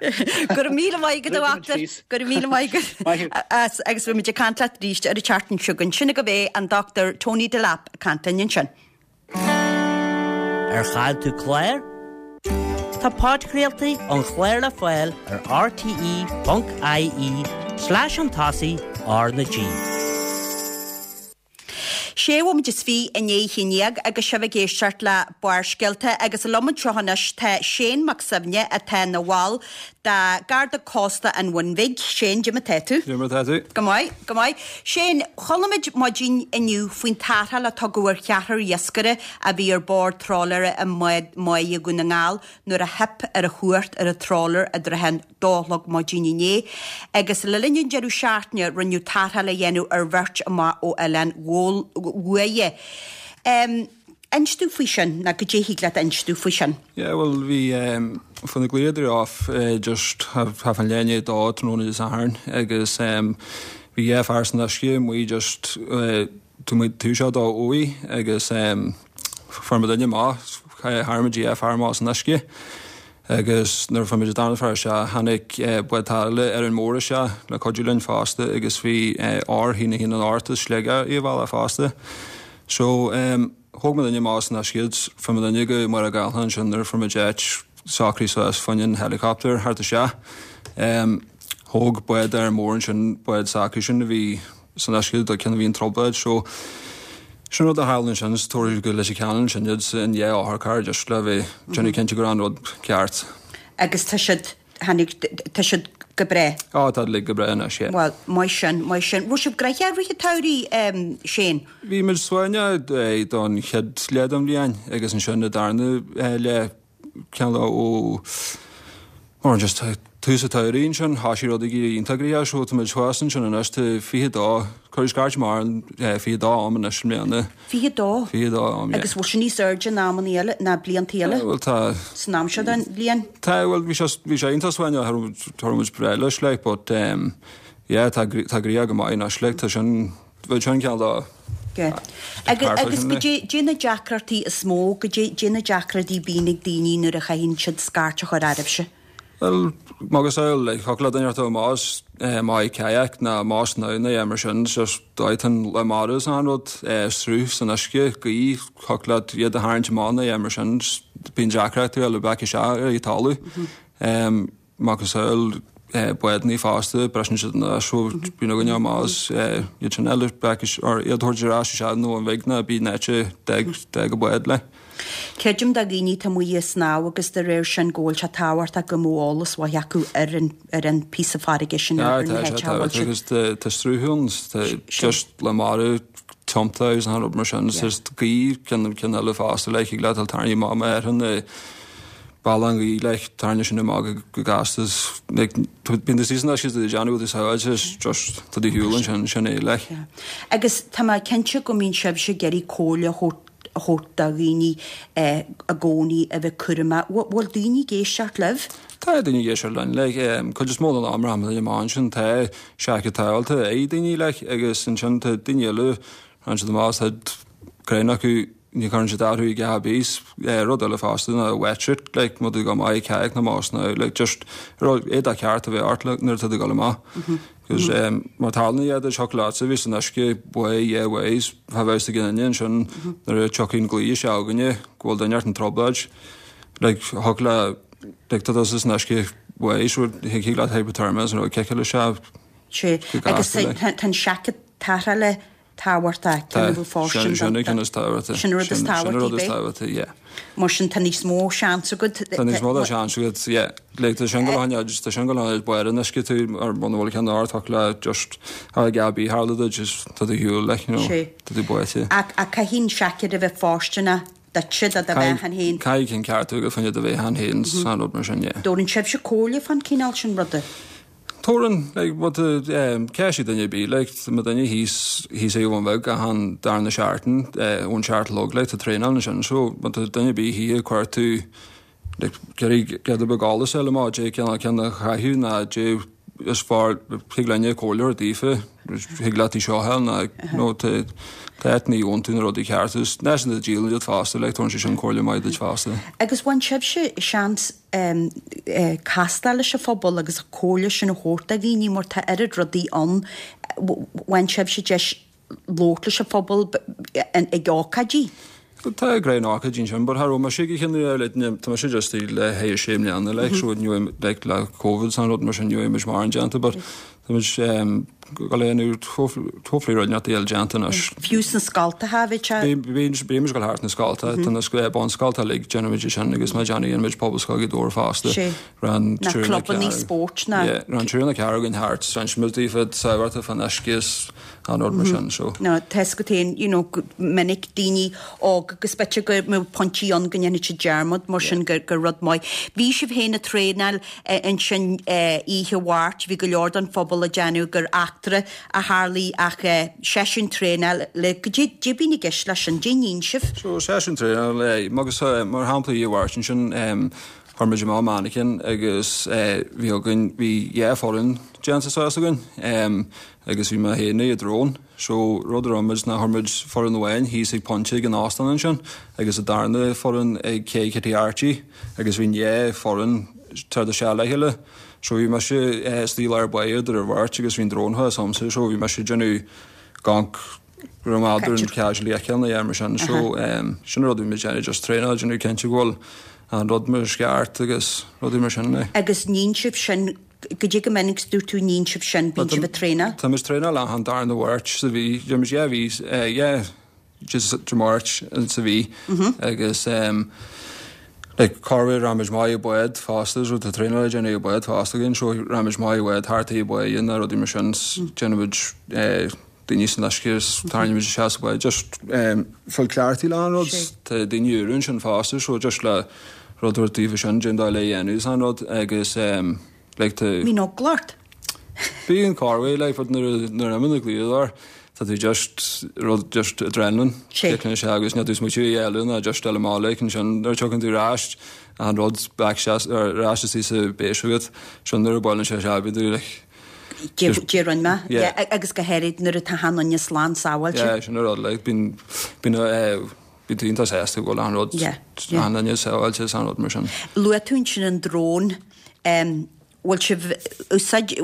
Speaker 1: Go raibh míle maith agat a dhochtúir, go raibh míle maith agat as agus beidh muid ag caint leat arís ar an tseachtain seo chugainn. Sin agaibh é an Dochtúir Tony Delap ag caint linn ansin.
Speaker 5: Ar chaill tú clár? Tá podchraoltaí an chláir le fáil ar rte ponc ie slash an tosaigh R na G.
Speaker 1: Sé bhomaite is fiche i ndiaidh a haon déag agus sibh ag éisteacht le Barrscéalta agus liom anseo anois tá Shane Mac Suibhne atá ina bhall de Garda Cósta an Bhun Bhig. Shane, cad é mar tá tú?
Speaker 6: Cad é mar tá tú?
Speaker 1: Go maith, go maith. Shane, chuala muid maidin inniu faoin tarrtháil a tugadh ar cheathrar iascaire a bhí ar bord trawlaire i mbád Mháighe Dhún na nGall nuair a theip ar an chumhacht ar an trawler i dtrátha an dó a chlog maidin inné agus le linn an deireadh seachtaine rinneadh tarrtháil a dhéanamh ar bheirt amach ó Oileán Ghuaire. Inis domh faoi sin, nó goidé thig leat a inse domh faoi sin.
Speaker 6: Yeah, well, bhí um, fan na glaodar off uh, just have, have an léine dó tráthnóna Dé Sathairn agus um, bhí dhá fear san uisce muid just uh, tú muid tú seo dá uaidh agus um, fuair muid duine amach tharraing muid dhá fear amach as an uisce agus nuair fuair muid an darna fear isteach tháinig uh, bád tarrthála Árainn Mhór isteach le cuidiú linn fosta agus bhí uh, R haon a haon an Art as Sligeach i bhfealla fosta. So um, thóg muid duine amach as an uisce fuair muid duine go Machaire Gathlán ansin nuair fuair muid áit socraithe suas fá choinne an helicopter thart isteach. Um, thóg bád Árainn Mhór ansin bád s'acu sin a bhí san uisce do ceann a bhí in trioblóid so sin rud a tharla ansin is tabharfaidh go Leitir Ceanainn sin iad in dhá otharcharr just le bheith déanamh cinnte go raibh an rud ceart.
Speaker 1: Agus tá siad tháinig tá siad go breá.
Speaker 6: Á tá uilig go breá anois, yeah.
Speaker 1: Bhuel, maith sin, maith sin. Raibh sibh gnoitheach i rith an tsamhraidh, Shane?
Speaker 6: Bhí muid suaimhneach don chéad leath den bhliain agus ansin an darna leath ceann ó mar just tús an tsamhraidh ansin thosaigh rudaí ag éirí iontach gnoitheach so tá muid thuas ansin anois tá fiche dó cuireadh scairt mar fiche dó am anois i mbliana.
Speaker 1: Fiche dó?
Speaker 6: Fiche dó am, yeah.
Speaker 1: Agus bhfuil sé níos airde ná amannaí eile, ná bliantaí eile?
Speaker 6: Bhuel tá.
Speaker 1: San am seo den bhliain?
Speaker 6: Tá, bhuel bhí sé bhí sé iontach suaimhneach tá raibh muid breá leis like but um, yeah tá tá gnoitheach go maith anois like tá sin bhfuil sin ceann dá
Speaker 1: Yeah. Agus agus goidé goidé na deacrachtaí is mó, goidé goidé na deacrachtaí a bhíonn ag daoine nuair a chaitheann siad scairt a chur oraibhse?
Speaker 6: Well, magus eil, like, thiocfadh le duine ort más maith kayak ná más ná ná mar sin, just dóiteán le mara is an rud, sruth san uisce, gaoth, thiocfadh leat iad a tharraingt amach ná mar sin, bíonn deacrachtaí le back isteach ar an talamh. Magus eil, bádannaí fosta, briseann siad anuas, so bíonn againne más iad sin eile back or iad thabhairt ar ais isteach nó an bhig ná bí nete d'fhág d'fhág an bád le.
Speaker 1: Creidim do dhaoine atá amuigh ag snámh agus de réir sin go bhfuil sé tábhachtach go mbeadh eolas mhaith acu ar an ar an píosa farraige sin ar na
Speaker 6: háite a bhfuil siad. Agus tá sruth ann, tá just le mara tiomta agus an rud mar sin, just gaoth ceann ceann eile fosta le thig leat dul tarraingt amach má ar an bail an ghaoth like tarraingt sin amach go gasta is like bíonn tú síos anois is tú ag déanamh rud is sábháilte is just tá do shiúl ansin sin é like.
Speaker 1: Agus tá mé cinnte go mbíonn sibhse ag iarraidh comhairle a thabhairt a thabhairt do dhaoine i gcónaí a bheith cúramach. Bhfuil daoine ag éisteacht libh?
Speaker 6: Tá daoine ag éisteacht linn like cuid is mó den am rachaidh muid amach ansin tá seaicéad tarrthála ag daoine like agus ansin tá daoine eile raghann siad amach tá greim acu ní chuireann siad orthu ag a bís rud eile fosta ná wetsuit like má tá tú ag dul amach ag kayak nó más nó like just rud éadach ceart a bheith ort like nuair atá tú ag dul amach. Cos um, mar tarlaíonn iad thiocfadh leatsa bhí san uisce way yeah ways ha bheith ag an ansin nuair a tiocfaidh an glao isteach againne go bhfuil duine ort in trioblóid like thiocfadh le like tá tusa san uisce ways so thig leat hypothermia is an rud ciceáil isteach
Speaker 1: Sé
Speaker 6: go
Speaker 1: agus
Speaker 6: gasta like.
Speaker 1: tá an seaicéad tarrthála tábhachtach,
Speaker 6: Tá,
Speaker 1: ceann a bhfuil fóirstean
Speaker 6: sin sin
Speaker 1: don
Speaker 6: an ceann is tábhachtaí.
Speaker 1: Sin an rud is
Speaker 6: Sin an rud
Speaker 1: tábhachtaí,
Speaker 6: is
Speaker 1: b'é?
Speaker 6: tábhachtaí, yeah.
Speaker 1: Mar sin tá níos mó seans agat.
Speaker 6: Tá níos mó de seans agat, yeah. Like tá sin go háirithe, just tá sin go háirithe baol an uisce tú ar muna bhfuil ceann ort ach le just a dhá bí tharla duit just tá tú shiúl like, you know,
Speaker 1: Sé.
Speaker 6: tá tú báite.
Speaker 1: Ach ach caithfidh an seaicéad a bheith fóirsteanach duitse do do bheatha féin.
Speaker 6: Caithfidh ceann ceart agat fá choinne do bheatha féin san rud mar sin, yeah.
Speaker 1: Dtabharann sibhse comhairle fán cineál sin ruda?
Speaker 6: Tabharann, like, what the, um, ceistigh duine ar bith, like, tá duine thíos, thíos ag Abhainn Bheag achan darna seachtain, eh, ón seacht a chlog, like, tá traenáil ansin, so, má tá duine ar bith thíos cuir tú, like, iarraidh giota beag eolas a fháil amach, dé ceann ceann a chaitheamh ná dé is fearr, thig linn comhairle a thabhairt daofa, thig leat í seo a fháil ná, nó tá, tá ní fhaigheann tú na rudaí cearta, is leis na díolann iad fosta, like, tabharann sé sin comhairle maith duit fosta.
Speaker 1: Agus bhain sibhse seans um, uh, castáil leis an phobal agus an comhairle sin a thabhairt do dhaoine mar tá oiread rudaí ann, bhain sibhse deis labhairt leis an phobal ag ócáidí?
Speaker 6: Tá grean ócáidí ansin, but cha raibh mise ag cinneadh like, tá mise just le haghaidh sé mbliana, like, so ní raibh, like, le Covid san rud mar sin ní raibh muid mórán déanta, but tá muid um, go léanú hopefully rud neart eile déanta anois.
Speaker 1: Fiú sna scoltacha bhí sé?
Speaker 6: Bímid ag dul thart na scolta, tá na bunscolta uilig déanaimid sin agus má déanamh muid Pobalscoil Ghaoth Dobhair fosta.
Speaker 1: Sé.
Speaker 6: Ran
Speaker 1: Na
Speaker 6: triúr na
Speaker 1: clubanna
Speaker 6: ceathair.
Speaker 1: spóirt na.
Speaker 6: Yeah, ran triúr nó ceathrar againn thart, san muid daofa sábháilte fan uisce is an rud mar sin, so.
Speaker 1: No, tá go téann, you know, go minic daoine óga agus b'fhéidir go mbeadh pointí ann go ndéanfaidh siad dearmad mar sin gur gur rud maith. Bhí sibh féin ag traenáil ansin oíche Mháirt, bhí go leor den phobal ag déanamh gur fheachtas eachtra a tharlaigh ach seisiún traenála goidé a bhíonn i gceist leis sin, goidé a níonn sibh.
Speaker 6: So seisiún traenála agus mar shampla i Mháirt ansin chuir muid amach mannequin agus bhí againn bhí dhá foireann déanta suas againn agus bhí mé féin ag drón so rud a rinne muid ná chuir muid foireann amháin thíos ag pointe ag an óstán ansin agus an darna foireann ag Cé Kitty Archie agus bhí dhá foireann tar isteach le chéile so bhí mise istigh i lár báire idir an bheirt agus bhí an drón thuas a'msa so bhí mise ag déanamh gonc raibh an casually a cheann a mar sin so sin rud a bhí muid ag déanamh just traenáil déanamh cinnte go bhfuil an rud mar is ceart agus rudaí mar sin.
Speaker 1: Agus níonn sibh sin goidé go minic dúirt tú níonn sibh sin bíonn sibh ag traenáil?
Speaker 6: Tá muid traenáil achan darna Mháirt sa mhí déanann muid dhá mhí dhá just Dé Máirt sa mhí agus like corruair rachaidh muid amach i bád fosta so tá traenáil le déanamh i bád fosta againn so rachaidh muid amach i bád thart i bád nó rudaí mar sin déanann muid daoine san uisce is tarraingíonn muid isteach sa bhád just fáil cleachtaithe le an rud tá daoine úra ansin fosta so just le rud a thabhairt daofa sin cén dóigh le dhéanamh is an rud agus like tá
Speaker 1: Bíonn eagla ort?
Speaker 6: Bíonn corruair like but nuair nuair a imíonn an gliadar tá tú just rud just adrenaline kicking isteach agus níl tú ag smaoitiú a dhéanamh ná just dul amach like ansin nuair a tiocfainn tú ar ais an rud back ar ais istigh sa bhéis agat sin nuair a buaileann sé isteach bíonn tú like
Speaker 1: Goidé rinne mé yeah agus go háirid nuair atá achan duine slán sábháilte.
Speaker 6: Yeah sin an rud like bíonn bíonn bíonn tú iontach sásta go bhfuil an rud achan duine sábháilte is an rud mar sin.
Speaker 1: Luaigh tú ansin an drón bhfuil sibh úsáid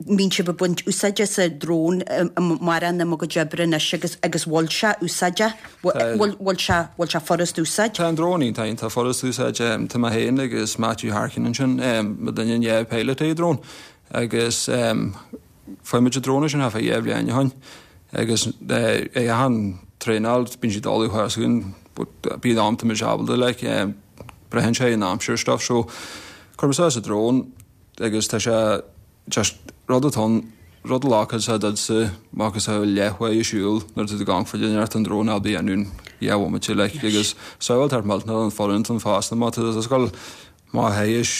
Speaker 1: mbíonn sibh ag baint úsáide as an drón mórán i bhur gcuid oibre anois agus agus bhfuil sé úsáideach bhfuil bhfuil sé bhfuil sé furast úsáid?
Speaker 6: Tá an drón iontach iontach furast úsáid tá mé féin agus Matthew Harkin ansin muidinne an dhá pilot ag an drón agus fuair muid an drón sin thart fá dhá bhliain ó shin agus ag achan traenáil bíonn siad dul thuas againn but bíonn am tá muid ábalta like braitheann sé an aimsir stuff so chuir muid suas an drón agus tá sé just rud atá ann rud a ghlacfadh sé duitse macasamhail leathuair ag siúl nuair atá tú ag amharc faoi deara an drón ábalta a dhéanamh in dhá bhomaite like agus sábháilteacht millteanach don fhoireann don fosta má tá tú ag dul má théis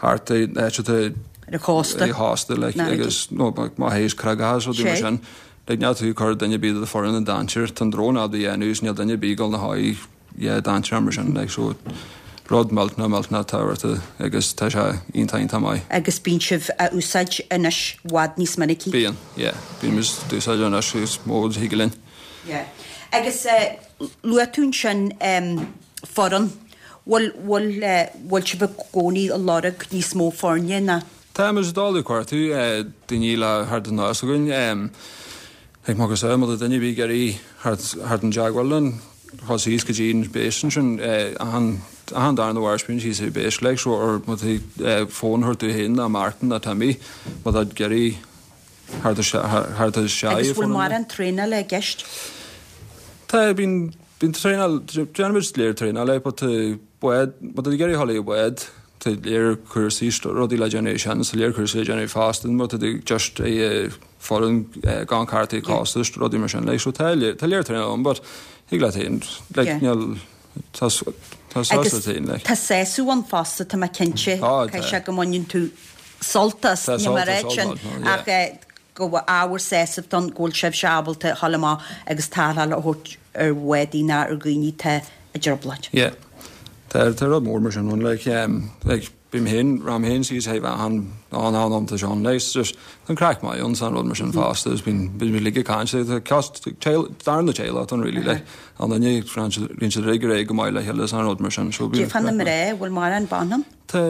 Speaker 6: thart áit atá
Speaker 1: ar an chósta
Speaker 6: ar an chósta like agus nó má théis creagacha is rudaí mar sin like níl tú ag cur duine ar bith de do foireann i ndainséar tá an drón ábalta a dhéanamh is níl duine ar bith ag dul ina sháith yeah dainséar mar sin like so rud millteanach millteanach tábhachtach agus tá sé iontach iontach maith.
Speaker 1: Agus bíonn sibh á úsáid anois i bhfad níos minicí?
Speaker 6: Bíonn, yeah. Bíonn muid ag úsáid anois is mó a thig linn.
Speaker 1: Yeah. Agus luaigh tú ansin foireann. Bhfuil, bhfuil, bhfuil sibh i gcónaí ag lorg níos mó foirne ná?
Speaker 6: Tá muid ag dul ag cuartú daoine le theacht anuas chugainn. Ag má tá duine ar bith ag iarraidh theacht i dteagmháil linn, dul síos go dtí an base ansin, achan, achan darna Mháirt bíonn síos ar base like so or má tá fón a thabhairt dúinn féin ná Martin ná Timmy má tá ag iarraidh theacht theacht isteach
Speaker 1: Agus bhfuil mórán traenála i gceist?
Speaker 6: Tá, bíonn Bíonn traenáil, déanaimid léir traenála but tá bád, má tá tú ag iarraidh dhul i bád, tá léir cúrsaí, rudaí le déanamh sin, tá léir cúrsaí le déanamh fosta, má tá tú just i foireann gan cártaí costais, rudaí mar sin, like, so tá léir, tá léir traenáil ann but thig leat féin, like, níl, tá, tá sásamh leat féin, like.
Speaker 1: Tá sásamh ann fosta, tá mé cinnte, caithfidh sé go mbaineann tú sult as, níl mé ag ráit sin ach go bhfuil ábhar sásaimh ann go bhfuil sibhse ábalta a dhul amach agus tarrtháil a thabhairt ar bhádaí ná ar dhaoine atá i dtrioblóid.
Speaker 6: Yeah. Tá tá rud mór mar sin ann like um like bím féin rachainn féin síos thaobh achan an an am tá Sean like just tá an craic maith ann san rud mar sin fosta is bíonn bíonn muid uilig ag caint tá cost darna teaghlach ann really like an duine ritheann siad ritheann siad ar aghaidh ar aghaidh go maith le chéile san rud mar sin so
Speaker 1: bíonn Cad é fá na mná, bhfuil mórán ban ann?
Speaker 6: Tá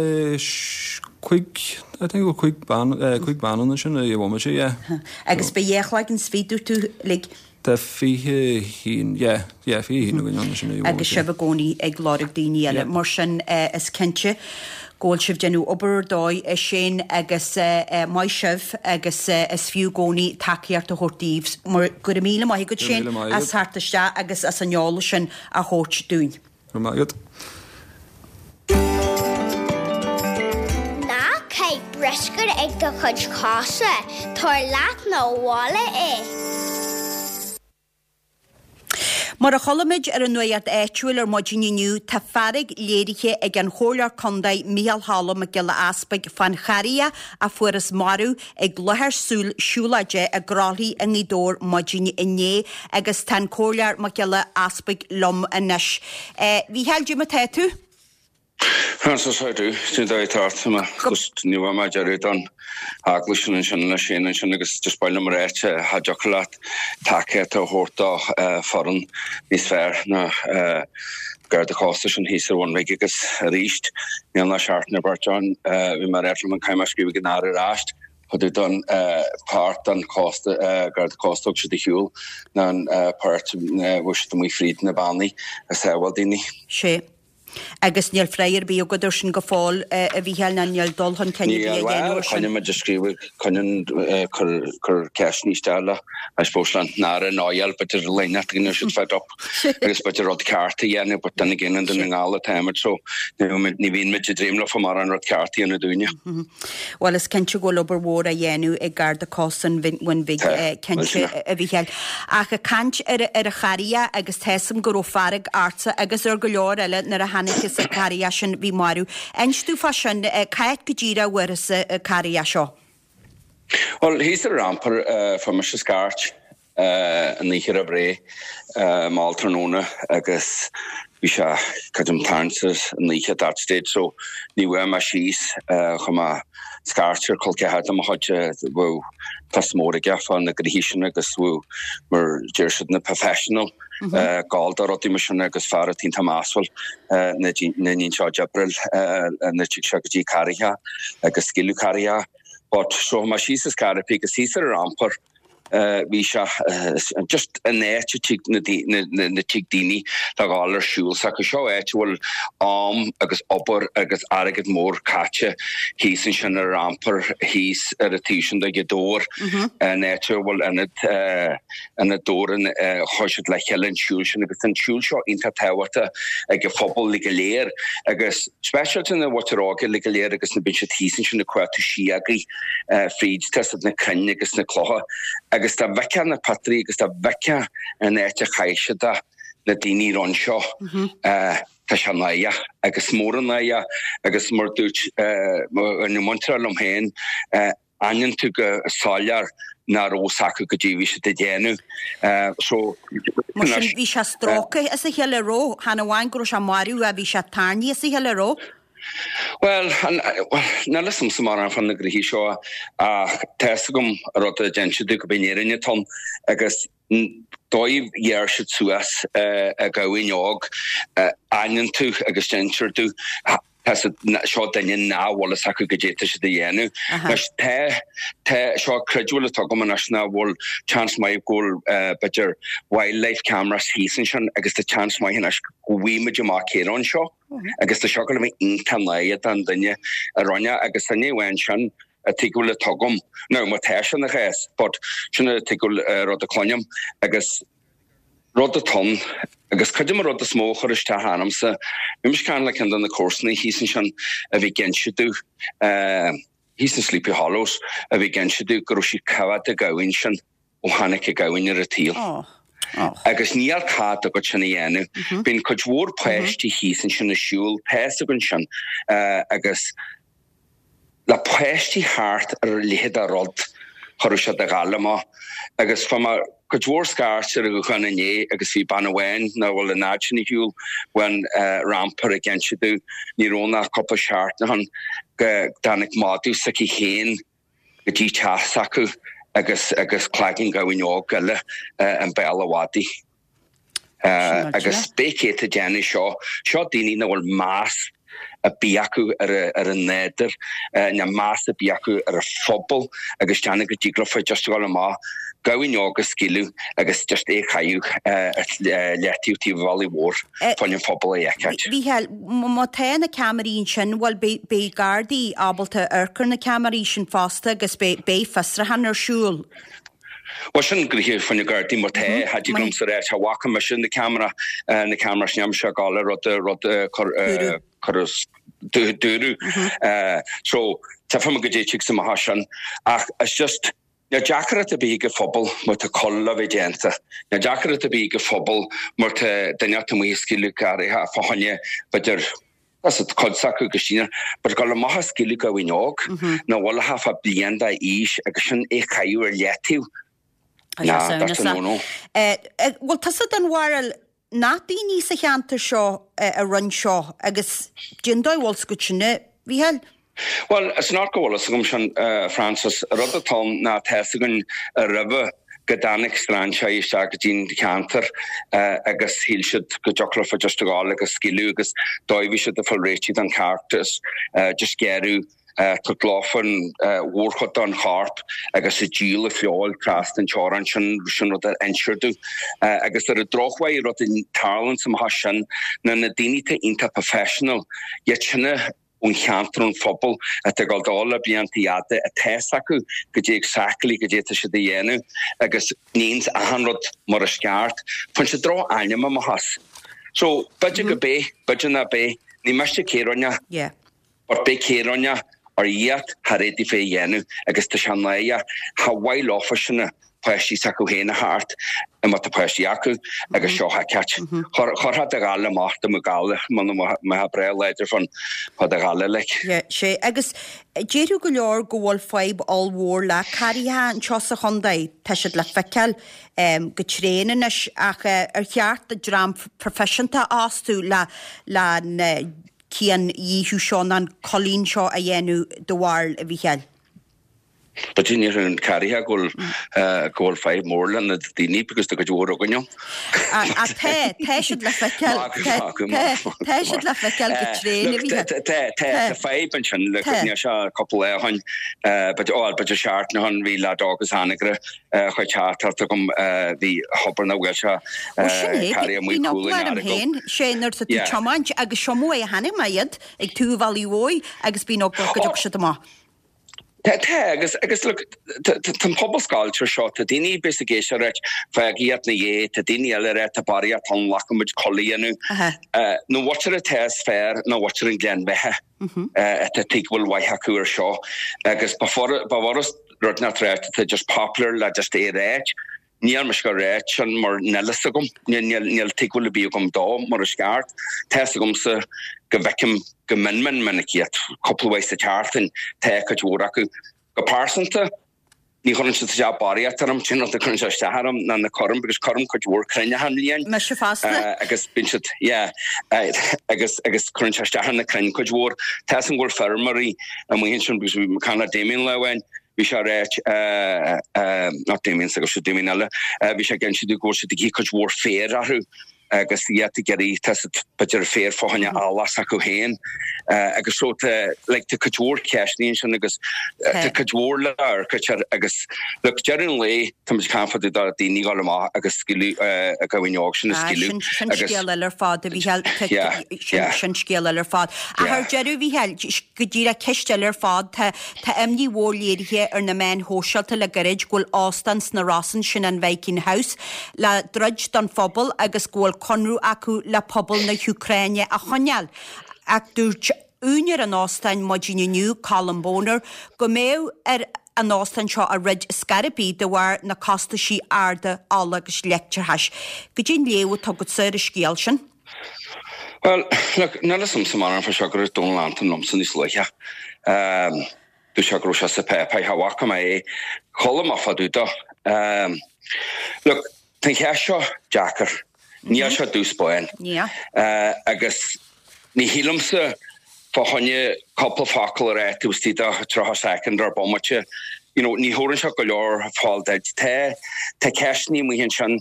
Speaker 6: cúig I think bhfuil cúig bean cúig bean ann ansin i bhomaite yeah.
Speaker 1: Agus beidh dhá chloigeann is fiche dúirt tú like.
Speaker 6: Tá fiche haon yeah yeah fiche haon againn ann ansin i bhomaite.
Speaker 1: Agus sibh i gcónaí ag lorg daoine eile. Mar sin is cinnte go bhfuil sibh déanamh obair ar dóigh a Shane agus maith sibh agus is fiú i gcónaí tacaíocht a thabhairt daoibh. Mar go raibh míle maith agat Shane as theacht isteach agus as an eolas sin a thabhairt dúinn.
Speaker 6: Go raibh maith agat.
Speaker 3: Ná caith bruscar ag do chuid cosa, tabhair leat 'na bhaile é.
Speaker 1: Mar a chuala muid ar an nuacht áitiúil ar maidin inniu, tá fearg léirithe ag an Chomhairleoir Contae Micheál Cholm Mac Giolla Easpaig fán charraíoch a fuarthas marbh ag láthair siúlóide i gCroithlí i nGaoth Dobhair maidin inné agus tá an Comhairleoir Mac Giolla Easpaig liom anois. A Mhícheáil, cad é mar atá tú?
Speaker 7: Frances, how do? Sin dá tart me just ní bha mé dearú don eaglais sin ansin le sin ansin agus just baile mar áit cha dtiocfadh leat tacaíocht a thabhairt do foireann níos fearr ná Garda Cósta sin thíos ar Bhun Bhig agus arís níl ná seachtain ar beirt ann bhí mé ar liom an caim scríobh ag an Aire ar ais chuid don páirt den chósta Garda Cósta thug siad a shiúl ná an páirt bhfuil siad amuigh fríd na bannaí a sábháil daoine.
Speaker 1: Sé. Agus níl freagra ar bith agat air sin go fóill, a Mhícheáil, ná níl dul chun cinn ar bith á dhéanamh air sin.
Speaker 7: Coinneoidh muid ag scríobh, coinneoidh cur ceisteanna isteach le, I suppose, le an Aire Noel, b'fhéidir léineacht go ndéanfaidh siad fed up agus b'fhéidir rud ceart a dhéanamh, but then again, i nDún na nGall atáimid so ní bhíonn muid ag dréim leofa mar an rud ceart a dhéanamh dúinne.
Speaker 1: Bhuel, is cinnte go bhfuil obair mhór á dhéanamh ag Garda Cósta an Bhun Bhig, cinnte, a Mhícheáil. Ach ag caint ar an charraíoch agus tá 'fhios a'm go raibh fearg ortsa agus ar go leor eile nuair a chonacthas an carraíoch sin bhí marbh. Inis domh fá sin, cá háit go díreach a bhfuarthas an carraíoch seo?
Speaker 7: Bhuel, thíos ar an rampar, fuair mise scairt an oíche roimh ré, mall tráthnóna agus bhí sé creidim tarraingt an oíche at that stage so ní bhfuair mé síos, chuir mé scairt ar col ceathar de mo chuid a bhfuil post mór aige fá na gnoithí sin agus bhfuil mar deir siad na professional gabháil do rudaí mar sin agus fear atá iontach measúil na ndíon seo d'oibril na tigh seo go dtí Carraigheacha agus scaoileadh Carraigheacha but so mé síos is Carraigh agus thíos ar an rampar bhí sé just an áit a tig na na tig daoine le ghabháil ar siúl s'acu seo áit a bhfuil am agus obair agus airgead mór caite thíos ansin ar an rampar thíos ar an taobh sin de Ghaoth Dobhair an áit a bhfuil ionad ionad Dobhair an chuir siad le chéile an siúl sin agus an siúl seo iontach tábhachtach ag an phobal le go léir agus speisialta na mhuintir óga le go léir agus na bíonn siad thíos ansin ag cuartú síogaí fríd tá siad na crainn agus na clocha agus dá bhfeicfeá na pictiúirí agus dá bhfeicfeá an áit a chaith siad é na daoine ron seo tá sé náireach agus mór an náire agus mar dúirt mo mhuintir liom féin aithníonn tú go soiléir nach raibh fhios acu goidé bhí siad ag déanamh. So
Speaker 1: Mar sin bhí sé stróicthe as a chéile raibh, chan amháin go raibh sé marbh ach bhí sé tarraingthe as a chéile raibh?
Speaker 7: Bhuel, níl fhios a'msa mórán fá na gnoithí seo ach tá fhios agam rud a d'inis domh gurb í an fhírinne atá ann agus dóigh ghearr siad suas a gamhain óg, aithníonn tú agus d'insear domh tá siad, seo duine nach bhfuil fhios acu goidé tá siad a dhéanamh. Anois tá, tá, seo creidbheáil atá agam anois ná bhfuil chance maith go bhfuil b'fhéidir wildlife cameras thíos ansin agus tá chance maith anois go bhfaighidh muid amach cé raibh anseo agus tá seo ag gabháil a bheith iontach náireach don duine a rinne agus duine amháin sin a tuigbheáil atá agam, now má tá sé ina chás but sin a tuigbheáil rud a cluinim agus rud atá ann agus creidim an rud is mó a chuir isteach ormsa, bhí mise ag caint le ceann de na comharsana thíos ansin a bhí ag inse domh, thíos in Sleepy Hollows, a bhí ag inse domh go raibh siad coimhéad an ghamhain sin ó tháinig an gamhain ar an tsaol. Agus níl cead agat sin a dhéanamh. Bíonn cuid mhór páistí thíos ansin ag siúl, tá fhios againn sin, agus le páistí thart ar a leithéid de rud, cha raibh siad ag gabháil amach. Agus fuair mé cuid mhór scairt ar an ghuthán inné agus bhí bean amháin nach bhfuil an fhad sin ar shiúl ón rampar ag inse domh ní raibh ann ach cúpla seachtain ó shin go dtáinig madadh s'aici féin go dtí teach s'acu agus agus cloigeann gamhain óg eile i mbéal an mhadaidh. Agus pé cé atá ag déanamh seo, seo daoine nach bhfuil meas ar bith acu ar an nádúr, ná meas ar bith acu ar an phobal agus déanamh go dtig leofa just a dhul amach, gamhain óg a scaoileadh agus just é a chaitheamh ar leataobh taobh an bhealaigh mhóir fá choinne an phobal a fheiceáilt.
Speaker 1: Mhícheáil, má tá na ceamaraí ansin, bhuel beidh Gardaí ábalta amharc ar na ceamaraí sin fosta agus beidh fiosrúchán ar siúl.
Speaker 7: Bhuel sin gnoithe fá na Gardaí má tá, cha dtig liomsa a rá, cha bhfaca mise na ceamara, na ceamara sin mise ag gabháil le rud, rud cur, cur dúradh. So, tchífidh muid goidé tig amach as sin. Ach it's just, Níl deacracht ar bith ag an phobal má tá coill le bheith déanta. Níl deacracht ar bith ag an phobal má tá duine inteacht amuigh ag scaoileadh garraithe fá choinne, b'fhéidir, tá cuid s'acu go síneadh, but ag dul amach ag scaoileadh gamhain óg, nach bhfuil ach fá bliain d'aois agus sin é chaitheamh ar leataobh. Nah, that's a no-no.
Speaker 1: Bhfuil tusa den bharúil nach daoine sa cheantar seo a rinne seo agus cén dóigh a bhfuil 's agat sin, a Mhícheáil?
Speaker 7: Bhuel, is not go bhfuil fhios agam sin, Frances. Rud atá ann ná tá fhios againn roimhe go dtáinig strainséirí isteach go dtí'n cheantar agus shíl siad go dtiocfadh leofa just a ghabháil agus scaoileadh agus dóigh bhí siad ag fáil réitithe don cheart is just gearradh tabhairt leofa an mhórchuid den chorp agus ag díol a feoil trasna an teorainn sin sin rud ar inseadh domh agus ar an drochuair rud a tarlaíonn sa mbeatha sin ná na daoine atá iontach professional iad sin a ón cheantar, ón phobal atá ag dul dó le blianta fhada, atá fhios acu goidé exactly goidé atá siad a dhéanamh agus níonns achan rud mar is ceart. Faigheann siad droch ainm amach as. So, b'fhéidir go b'é, b'fhéidir ná b'é, ní miste cé rinne,
Speaker 1: Yeah.
Speaker 7: but b'é cé rinne ar iad thar éadaí fé dhéanamh agus tá sé náireach, cha mhaith leofa sin a. páistí s'acu féin a theacht má tá páistí acu agus seo a fheiceáilt. Chuirfeá do ghaile amach do mo ghaile muna mbeifeá breá láidir fán fá do ghaile like.
Speaker 1: Yeah, sé. Agus déarfadh go leor go bhfuil fadhb ollmhór le carraithe anseo sa chontae. Tá siad le feiceáil go tréan anois ach ar cheart do dream proifisiúnta a fhostú le le an ciandíothú seo nó an coillín seo a dhéanamh do bharúil, a Mhícheáil?
Speaker 7: B'fhéidir ní raibh an carraithe go bhfuil go bhfuil fadhb mór le na daoine because tá cuid mhór againn ann.
Speaker 1: Ach tá, tá siad le feiceáil, tá siad le feiceáil go tréan a Mhícheáil.
Speaker 7: Tá, tá, tá fadhb ansin le níl sé cúpla lá ó shin, b'fhéidir, ó b'fhéidir seachtain ó shin bhí leaid óg as Anagaire chuir teachtaireacht chugam bhí thobar na bhfuil sé
Speaker 1: Ó sin é,
Speaker 7: carraithe amuigh
Speaker 1: bhí
Speaker 7: cúl
Speaker 1: eagla
Speaker 7: an
Speaker 1: orm
Speaker 7: Earagail.
Speaker 1: féin, sé nuair atá tú
Speaker 7: Yeah.
Speaker 1: tiomáint agus seo mo é a chonaic mé iad ag taobh Bhealaigh Mhóir agus bíonn eagla go dtiocfaidh siad amach.
Speaker 7: Tá, tá, agus, agus look, tá, tá, tá an pobal scoilte ar seo, tá daoine bíos ag éisteacht ag ráit, fág iad 'na dhiaidh, tá daoine eile ag ráit, tá barraíocht ann, glacann muid coill a dhéanamh.
Speaker 1: Aha.
Speaker 7: Uh, na mhuintir atá is fearr ná mhuintir an Ghleann Bheatha, uh, atá tuig bhfuil mhaith acu ar seo, agus ba fur- ba fhurast rud nach ráit atá just popular le just é a ráit. Níl mise ag ráit sin mar níl fhios agam, níl, níl, níl tuigbheáil ar bith agam dó mar is ceart. Tá fhios agamsa go bhfeicim go mion mion minic iad, cúpla uair sa tseachtain, tá cuid mhór acu. Go pearsanta, ní chuireann siad isteach barraíocht orm, sin rud a chuireann sé isteach orm ná na crainn, because cuirim cuid mhór crainn achan bhliain.
Speaker 1: Mise fosta.
Speaker 7: Uh, agus bíonn siad, yeah, uh, agus, agus cuireann sé isteach ar na crainn cuid mhór. Tá fhios agam go bhfuil feirmeoirí amuigh ansin, because bhí mé ag caint le Damien lá amháin, bhí sé ag ráit, not Damien, agus sé Damien eile, bhí sé ag inse go bhfuil siad ag ithe cuid mhór féir orthu agus iad ag iarraidh tá siad b'fhéidir féar fá choinne eallach s'acu féin agus so tá like tá cuid mhór ceisteanna ansin agus tá cuid mhór le amharc agus look deireadh an lae tá muid ag caint fá dtaobh de daoine ag dul amach agus scaoileadh a gamhain óg sin a scaoileadh
Speaker 1: Sin
Speaker 7: agus
Speaker 1: scéal eile ar fad a Mhícheáil
Speaker 7: Yeah, yeah.
Speaker 1: sin scéal eile ar fad. Ach ar deireadh Mhícheáil go díreach ceist eile ar fad tá tá imní mhór léirithe ar na meáin shóisialta le gairid go bhfuil óstán sna Rosann sin an Viking House le druid don phobal agus go bhfuil conradh acu le pobal na hÚcráine a choinneáil. Ach dúirt úinéir an óstáin maidin inniu Colin Boner go mbeadh ar an óstán seo a dhruid scor ar bith de bharr na costaisí arda ola agus leictreachais. Goidé an léamh atá agatsa ar an scéal sin.
Speaker 7: Well, look, níl fhios a'msa mar an fá seo go raibh Donal Anton liomsa níos luaithe. Um, Dúirt sé go raibh sé sa páipéar, cha bhfaca mé é. Chuala mé fá dtaobh dó. Um, look, tá an cheist seo deacair. Níl sé dubh 's bán.
Speaker 1: Yeah.
Speaker 7: Uh, agus ní shílimse fá choinne cúpla focal a rá taobh istigh de tríocha soicind ar bomaite. You know, ní thabharann sé go leor fáil duit. Tá tá ceisteanna amuigh ansin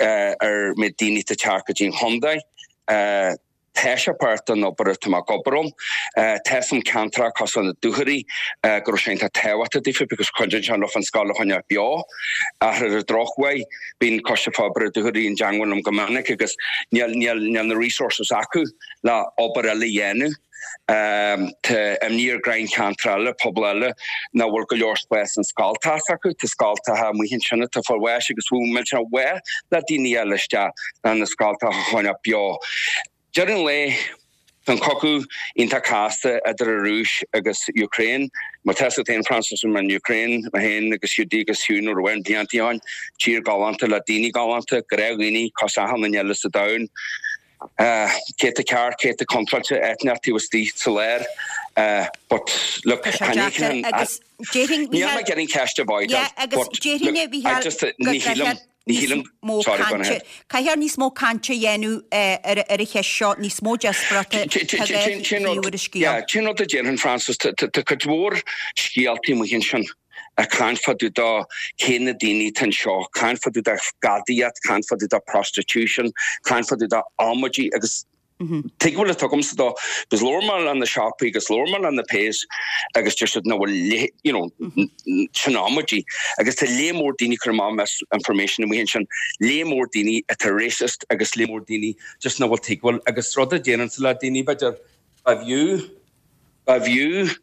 Speaker 7: uh, ar mé daoine ag teacht go dtí an chontae. Uh, Tá sé páirt den obair atá mé ag obair ann. Uh, tá some ceantracha cosúil na Dúchoraidh uh, go raibh sé iontach tábhachtach daofa because cuidíonn sé leofa an scoil a choinneáil beo. Ach ar an drochuair bíonn Coiste Forbartha Dúchoraidh i dteangmháil liom go minic agus níl níl níl na resources acu le obair eile a dhéanamh. Um, tá imní ar roinnt ceantar eile, pobal eile nach bhfuil go leor spás an scoltacha acu, tá scoltacha amuigh ansin atá fáil bháis agus bhfuil millteanach mhaith le daoine eile isteach le na scoltacha a choinneáil beo. Deireadh an lae Tá an cogadh iontach casta idir an Rúis agus Ukraine. Mar tá a fhios agat féin Francis an Ukraine mé féin agus Hiúdaí agus Hugh nuair a bhain blianta ann, tír galánta le daoine galánta, gnáthdhaoine, cosúil achan duine eile sa domhan. Cé atá ceart, cé atá contráilte, eitneach taobh istigh sa lár. But look,
Speaker 1: Tá sé deacair agus déarfainn,
Speaker 7: Níl mé ag iarraidh an cheist a bhfágáil,
Speaker 1: Yeah, agus
Speaker 7: but
Speaker 1: déarfainn
Speaker 7: look,
Speaker 1: a Mhícheáil
Speaker 7: I just,
Speaker 1: go
Speaker 7: ní shílim,
Speaker 1: gcaithfear
Speaker 7: ní
Speaker 1: níos
Speaker 7: shílim,
Speaker 1: mó
Speaker 7: sorry, go on
Speaker 1: cainte,
Speaker 7: ahead.
Speaker 1: caithfear níos mó cainte a dhéanamh ar ar an cheist seo, níos mó díospóireachta, tá dhá
Speaker 7: Sin
Speaker 1: thaobh
Speaker 7: rud,
Speaker 1: ar an scéal.
Speaker 7: yeah, sin rud a déarfainn Francis, tá tá cuid mhór scéaltaí amuigh ansin ag caint fá dtaobh de cé na daoine atá anseo, caint fá dtaobh de gadaíocht, caint fá dtaobh de prostitution, caint fá dtaobh de amaidí agus tuig bhfuil a tugamsa dó, agus labhair mé le na siopaí agus labhair mé le na péas agus deir siad nach bhfuil you know, sin amaidí. Agus tá léar mór daoine cur amach misinformation amuigh ansin, léar mór daoine atá racist agus léar mór daoine just nach bhfuil tuigbheáil agus rud a déanann le daoine b'fhéidir ba bhfiú ba bhfiú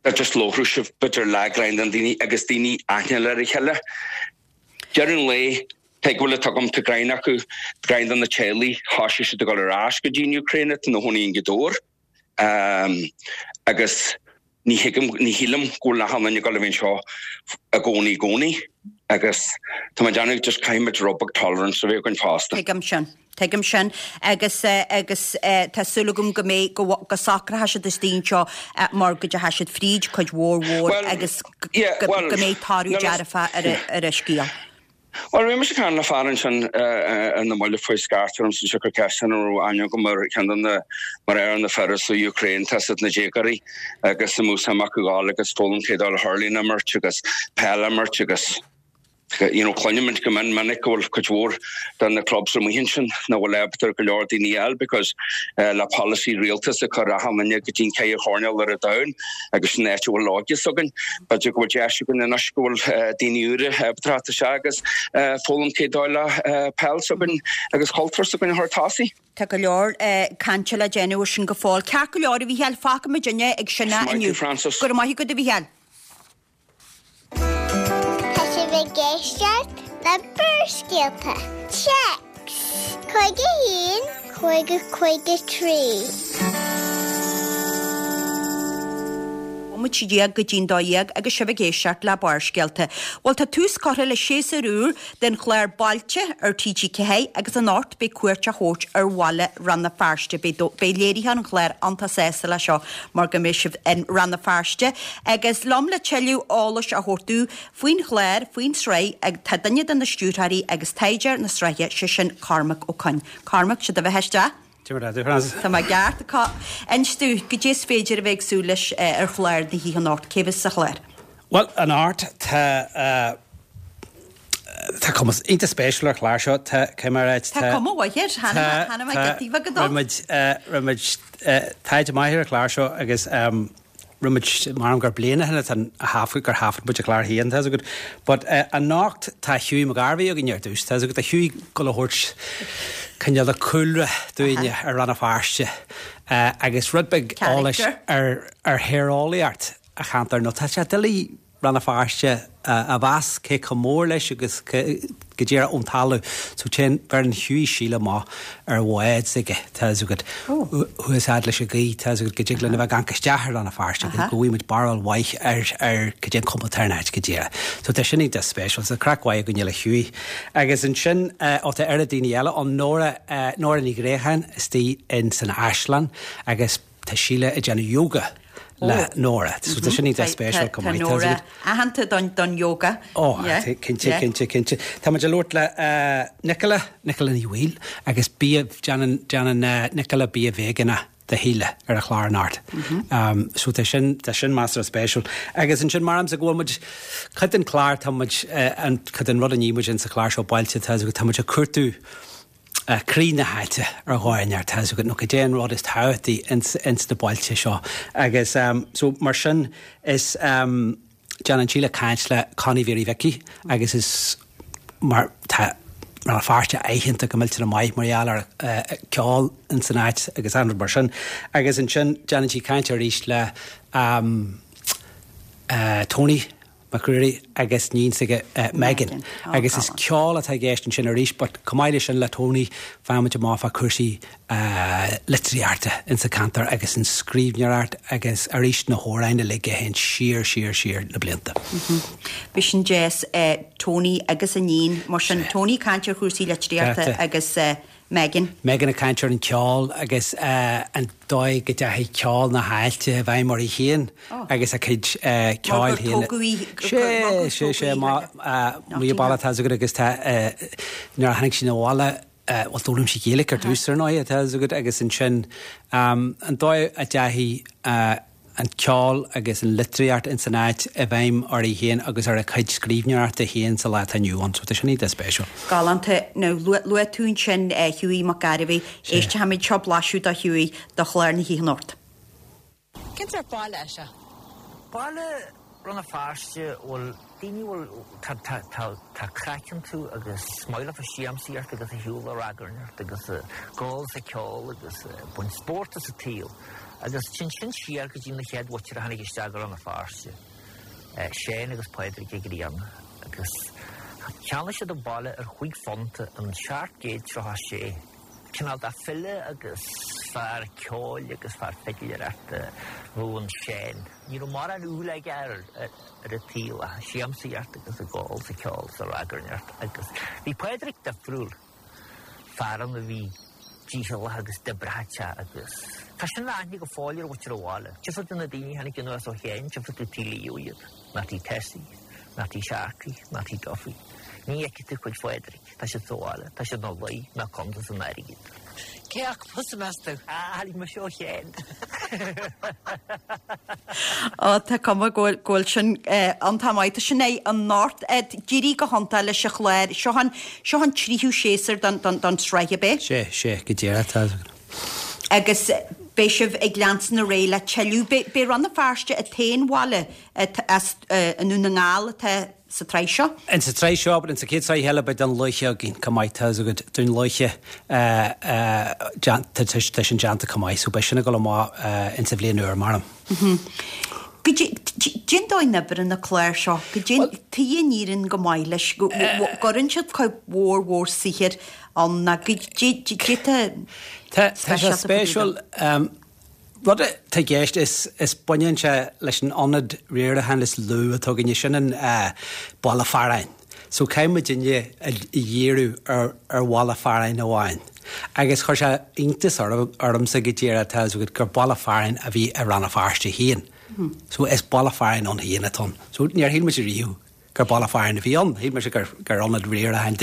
Speaker 7: dá just labhródh sibh b'fhéidir le greim den daoine agus daoine aithne le a chéile. Deireadh an lae, tuig bhfuil a agam tá greim acu greim de na teaghlaigh thosaigh siad ag dul ar ais go dtí an Ukraine atá ina chónaí in Gaoth Dobhair. Um, agus ní thuigim ní shílim go bhfuil achan duine ag dul a bheith anseo i gcónaí i gcónaí agus tá mé ag déanamh just caithfimid rud beag tolerance a bheith againn fosta.
Speaker 1: Tuigim sin. Tuigim sin agus eh, agus eh, tá súil agam go mbeidh go go socróidh siad istigh anseo eh, mar go dteachaidh siad fríd cuid mhór mhór
Speaker 7: Well,
Speaker 1: agus go
Speaker 7: yeah,
Speaker 1: go
Speaker 7: well,
Speaker 1: go mbeidh toradh
Speaker 7: no, no,
Speaker 1: dearfa ar a- ar an scéal.
Speaker 7: Well, bhí mise ag caint le fear ansin in na mbaile faoi scairt orm san siocair ceist an raibh aithne agam ar cheann de na mar ar na fir sa Ukraine tá siad na déagóirí agus sa músaem acu gabháil agus foghlaim cé dul hurling a imirt agus peil a imirt agus you know, cluinimid go min minic go bhfuil cuid mhór de na clubs amuigh ansin nach bhfuil ábalta go leor daoine eile because uh, le policy rialtas a chur achan duine go dtí ceithre choirnéal ar an domhan agus sin áit a bhfuil óige s'againn. B'fhéidir go bhfuil deis againn anois go bhfuil uh, daoine úra ábalta isteach agus uh, foghlaim cé dóigh le uh, peil s'againn agus cultúr s'againn a chur tosaigh.
Speaker 1: Tá go leor eh, cainte le déanamh air sin go fóill. Ceart go leor a Mhícheáil fágfaimid duine ag sin
Speaker 7: Maith thú,
Speaker 1: inniu.
Speaker 7: Francis.
Speaker 1: Go raibh maith agat a Mhícheáil.
Speaker 3: Tá sibh ag éisteacht le Barrscéalta. Téacs Cúig a haon, cúig a cúig a trí.
Speaker 1: Bomaite déag go dtí'n dó dhéag agus sibh ag éisteacht le Barrscéalta. Bhuel tá tús curtha le séasúr úr den chlár Bailte ar TG Ceathair agus anocht beidh cuairt á thabhairt ar bhaile Rann na Feirste beidh léirithe an chláir iontach sásta le seo mar go mbeidh sibh in Rann na Feirste agus liom le tuilleadh eolais a thabhairt dúinn faoin chlár faoin sraith ag tá duine de na stiúrthóirí agus taighdeoir na sraithe sé sin Cormac Ó Coinn. Cormac sé do bheatha isteach? Tá mé ceart acu inis dúinn goidé is féidir a bheith ag súil leis eh, ar chlár na hoíche anocht cé bheas sa chlár.
Speaker 8: Well anocht tá uh, tá cuma iontach spéisiúil ar chlár seo tá cé mar
Speaker 1: Tá cuma mhaith air cheana getaíh go dó.
Speaker 8: Rinne muid taighde maith ar chlár seo agus um, rinne muid mar gur bliana ó shin a thaifead gur thaifead muid an clár féin tá agat. But uh, anocht tá Hughie McGarvey againn ar dtús tá agat a Hughie go le thabhairt cineál de chúlra dúinne ar Rann na Feirste uh, agus rud beag eolais
Speaker 1: Character.
Speaker 8: ar ar théareolaíocht an cheantair nó tá sé doiligh Rann na Feirste a mheas cé chomh mór leis agus go dtíra ón talamh so téann bheireann Hughie Síle amach ar bhád aige tá agat thuas leis an ghaoth tá agat go dtig linn a bheith gan isteach ar Rann na Feirste go bhfuimid barúil mhaith ar ar go dtéann cuma ar an áit go dtíre. So tá sin iontach spéisiúil sa craic mhaith go le Hughie. Agus ansin ó tá ar daoine eile an Nóra Nóra Ní Ghréacháin istigh in san Áislann agus tá Síle ag déanamh yoga le Nóra. So tá sin iontach spéisiúil go maith.
Speaker 1: Nóra aitheanta don don yoga.
Speaker 8: Ó cinnte cinnte cinnte. Tá muid ag labhairt le Nicola Nicola Ní Bhaoill agus bia déanann déanann Nicola bia veigeánach do Shíle ar an chlár anocht. Um, so tá sin tá sin measartha spéisiúil. Agus ansin mar am sa go bhfuil muid cuid den chlár tá muid an cuid den rud a ní muid in sa chlár seo bailte tá go tá muid ag cuartú uh, croí na háite ar dhóigh ar tá go nó go dé an rud is tábhachtaí ins ins na bailte seo. Agus um, so mar sin is um, déanann Síle caint le Connie Mhary Mhicí agus is mar tá mar Feirste aitheanta go millteanach maith mar gheall ar uh, ceol in san áit agus an mar sin. Agus ansin déanann sí caint arís le um, uh, Tony Mac Ruairí agus iníon s'aige Megan. Agus is ceol atá i gceist ansin arís, but chomh maith leis sin le Tony faigheann muid amach fá cúrsaí litríochta insa cheantar agus an scríbhneoireacht agus arís na hamhráin uilig a théann siar siar siar na blianta.
Speaker 1: Bhí sin deas Tony agus a iníon mar sin Tony ag caint ar chúrsaí litríochta agus Megan.
Speaker 8: Megan ag caint ar an ceol agus an dóigh go dteachaigh ceol na háite i bhfeidhm uirthi féin agus a cuid ceoil féin. Sé, sé, sé, amuigh baile tá agat agus tá nuair a tháinig sí 'na bhaile bhuel d'fhoghlaim sí Gaeilge ar dtús ar ndóigh tá agat agus ansin an dóigh a dteachaigh an ceol agus an litríocht ins an áit i bhfeidhm uirthi féin agus ar a cuid scríbhneoireachta féin sa lá atá inniu ann. So tá sin iontach spéisiúil.
Speaker 1: Galánta. Now, luaigh tú ansin Hughie Mac Gairbheith. Éistfimid seo blaiseadh de Hughie do chlár na hoíche anocht.
Speaker 9: Cén sórt baile é seo?
Speaker 5: Baile Rann na Feirste, bhuel, daoine a bhfuil, tá, tá, tá, tá craic iontu agus is maith leofa siamsaíocht agus a shiúl ag ragairneacht agus a gabháil is ag ceol agus ag baint spórt as an tsaol. Agus téann sin siar go dtí na chéad mhuintir a tháinig isteach go Rann na Feirste, Séan agus Pádraig Ó Grianna, agus cheannaigh siad an baile ar chúig phunt in seacht gcéad tríocha a sé. Cineál de file agus fear ceoil agus fear fidléireachta a bhí in Séan. Ní raibh mórán dúil aige ar an tsaol ach siamsaíocht agus ag gabháil is ag ceol is ag ragairneacht agus bhí Pádraig difriúil, fear ann a bhí dícheallach agus d'oibreodh agus tá sin le aithne go fóill ar mhuintir an bhaile. Tchífidh tú na daoine a tháinig anuas ó Sheáin, tchífidh tú Tigh Leo iad, ná Tigh Tessie, ná Tigh Sharkey, ná Tigh Duffy. Ní fheicfidh tú cuid Phádraig, tá siad sa bhaile, tá siad ina luí, ná cuntas an airgid.
Speaker 9: Cé acu thusa, meas tú?
Speaker 5: Ah, tháinig mise ó Sheáin.
Speaker 1: Ó, tá cuma go bhfuil, go bhfuil sin iontach maith. Tá sin é anocht, d'éirigh go hiontach leis an chlár. Seo an, seo an tríú séasúr don, don, don tsraith, ab é?
Speaker 8: Sé, sé, go díreach, tá.
Speaker 1: Agus beidh sibh ag leanstan ar aghaidh le tuilleadh. B'é, b'é Rann na Feirste an t-aon bhaile as i nDún na nGall atá sa tsraith seo.
Speaker 8: Insa tsraith seo, but insa chéad tsraith eile beidh Dún Lúiche againn chomh maith, tá a fhios agat, Dún Lúiche, tá sin déanta chomh maith, so beidh sin ag dul amach insa bhliain úr, measaim.
Speaker 1: Goidé an dóigh a n-oibríonn na cláir seo, goidé tuige a n-éiríonn go maith leis, go gcuireann siad cuid mhór mhór saothair ann ná goidé tá
Speaker 8: Tá sé spéisiúil. Rud atá i gceist is is baineann sé leis an ionad riaracháin is lú atá againne, sin an baile fearainn. So caithfidh muidinne a dhíriú ar ar bhaile fearainn amháin. Agus chuir sé iontas ormsa go díreach tá a fhios agat gur baile fearainn a bhí i Rann na Feirste féin. So is baile fearainn ann féin atá ann. So níor shíl muid riamh gur baile fearainn a bhí ann. Shíl mise gur gur ionad riaracháin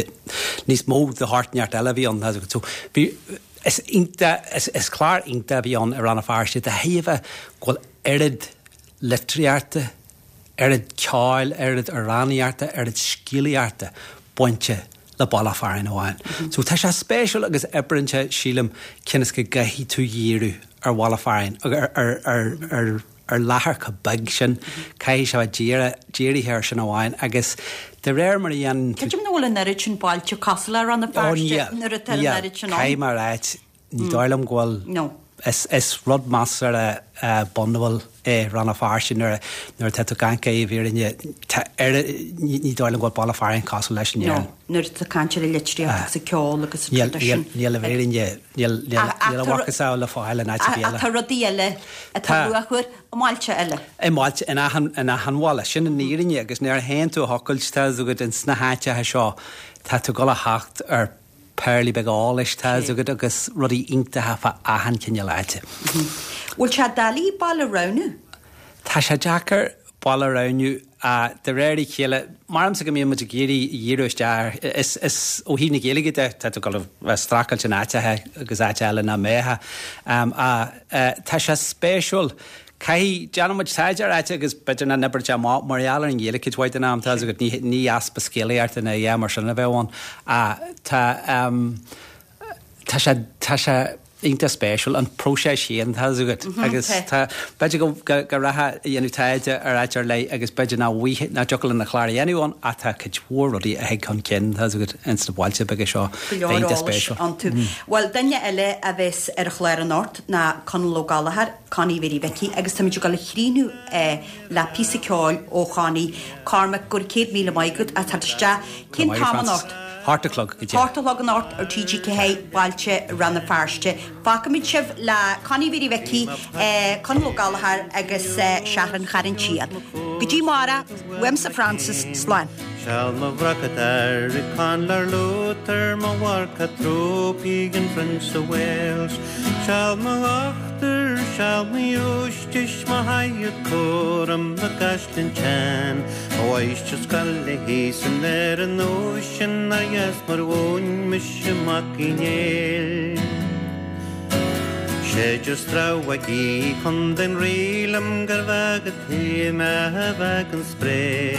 Speaker 8: níos mó de shórt inteacht eile a bhí ann. So bhí is iontach is is clár iontach a bhí ann i Rann na Feirste de thairbhe go bhfuil oiread litríochta, oiread ceoil, oiread amhránaíochta, oiread scéalaíochta bainte le baile fearainn amháin. So tá sé spéisiúil agus oibríonn sé sílim cionn is go gcaithfidh tú dhíriú ar bhaile fearainn ar ar ar ar ar láthair chomh beag sin, caithfidh sé bheith dírithe air sin amháin agus de réir mar a dhéanann tú.
Speaker 1: Creidim nach bhfuil an oiread sin bailte cosúil le Rann na Feirste nuair atá an oiread sin ann.
Speaker 8: Caithfidh mé a ráit, ní dóigh liom go bhfuil. Is is rud measartha bunúil é Rann na Feirste nuair nuair atá tú ag caint i bhfírinne tá ní ní dóigh liom go bhfuil baile fearainn cosúil leis in
Speaker 1: Éirinn. Nuair atá caint ar an litríocht agus an ceol agus an rud sin.
Speaker 8: Níl i bhfírinne níl níl níl a mhacasamhail le fáil in áit ar bith eile.
Speaker 1: Tá rudaí eile atá luachmhar i mbailte eile.
Speaker 8: I mbailte in achan in achan bhaile sin an fhírinne agus nuair a théann tú a thochailt tá a fhios agat ins na háiteacha seo tá tú ag dul a theacht ar péarlaí beaga eolais, tá a fhios agat, agus rudaí iontacha fá achan chineál áite.
Speaker 1: Bhfuil sé doiligh baile a roghnú?
Speaker 8: Tá sé deacair baile a roghnú de réir a chéile. Maramsa go mbíonn muid ag iarraidh dhíriú isteach ar, is, is ó thaobh na Gaeilge de, tá tú ag dul a bheith ag streachailt in áiteacha agus áit eile nach mbeifeá. Tá sé spéisiúil Caithfidh, déanann muid taighde ar áit agus b'fhéidir nach n-oibreoidh sé amach mar gheall ar an Ghaeilge cuid mhaith den am, tá a fhios agat, ní, ní easpa scéalaíochta ná a dhath mar sin a bheadh ann. Tá, tá sé, tá sé, iontach spéisiúil an próiseas féin tá agat agus tá b'fhéidir go go rachfá a dhéanamh taighde ar áit ar leith agus b'fhéidir nach bhfuil nach dtiocfadh linn an clár a dhéanamh ann ach tá cuid mhór rudaí a thig chun cinn tá agat ins na bailte beaga seo.
Speaker 1: Go leor eolais iontu. Bhuel duine eile a bheas ar an chlár anocht ná Conall Ó Gallchóir, Connie Mhary Mhicí agus táimid ag dul a chríochnú le píosa ceoil ó Chonnie. Cormac, go raibh céad míle maith agat as teacht isteach. Cén t-am anocht?
Speaker 8: Hocht a chlog go dtí.
Speaker 1: Hocht a chlog anocht ar T G Ceathair, Bailte Rann na Feirste. Fágfaimid sibh le Connie Mhary Mhicí, Conall Ó Gallchóir agus Seachrán Charn tSiáin. Go dtí amárach, uaimse Frances, slán.
Speaker 10: Seal mo bhracat air i Conlar Luther mo mharca trúpaí an Prince of Wales. Seal mo dhochtúir, seal mo ghiúistis, mo shaighead cúram na gcaisleán teann. Mo mháistir scoile thíos in Éirinn sin ar dheas mar mhúin mise Mac Uí Néill. Séidear strámhaigh í chun den rí liom gur bheag a tí mé a bheag an spré.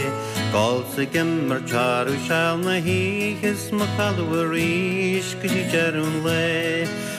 Speaker 10: Gol sa gimir tearú seal na hoíche is mo chodladh arís go dtí deireadh an lae.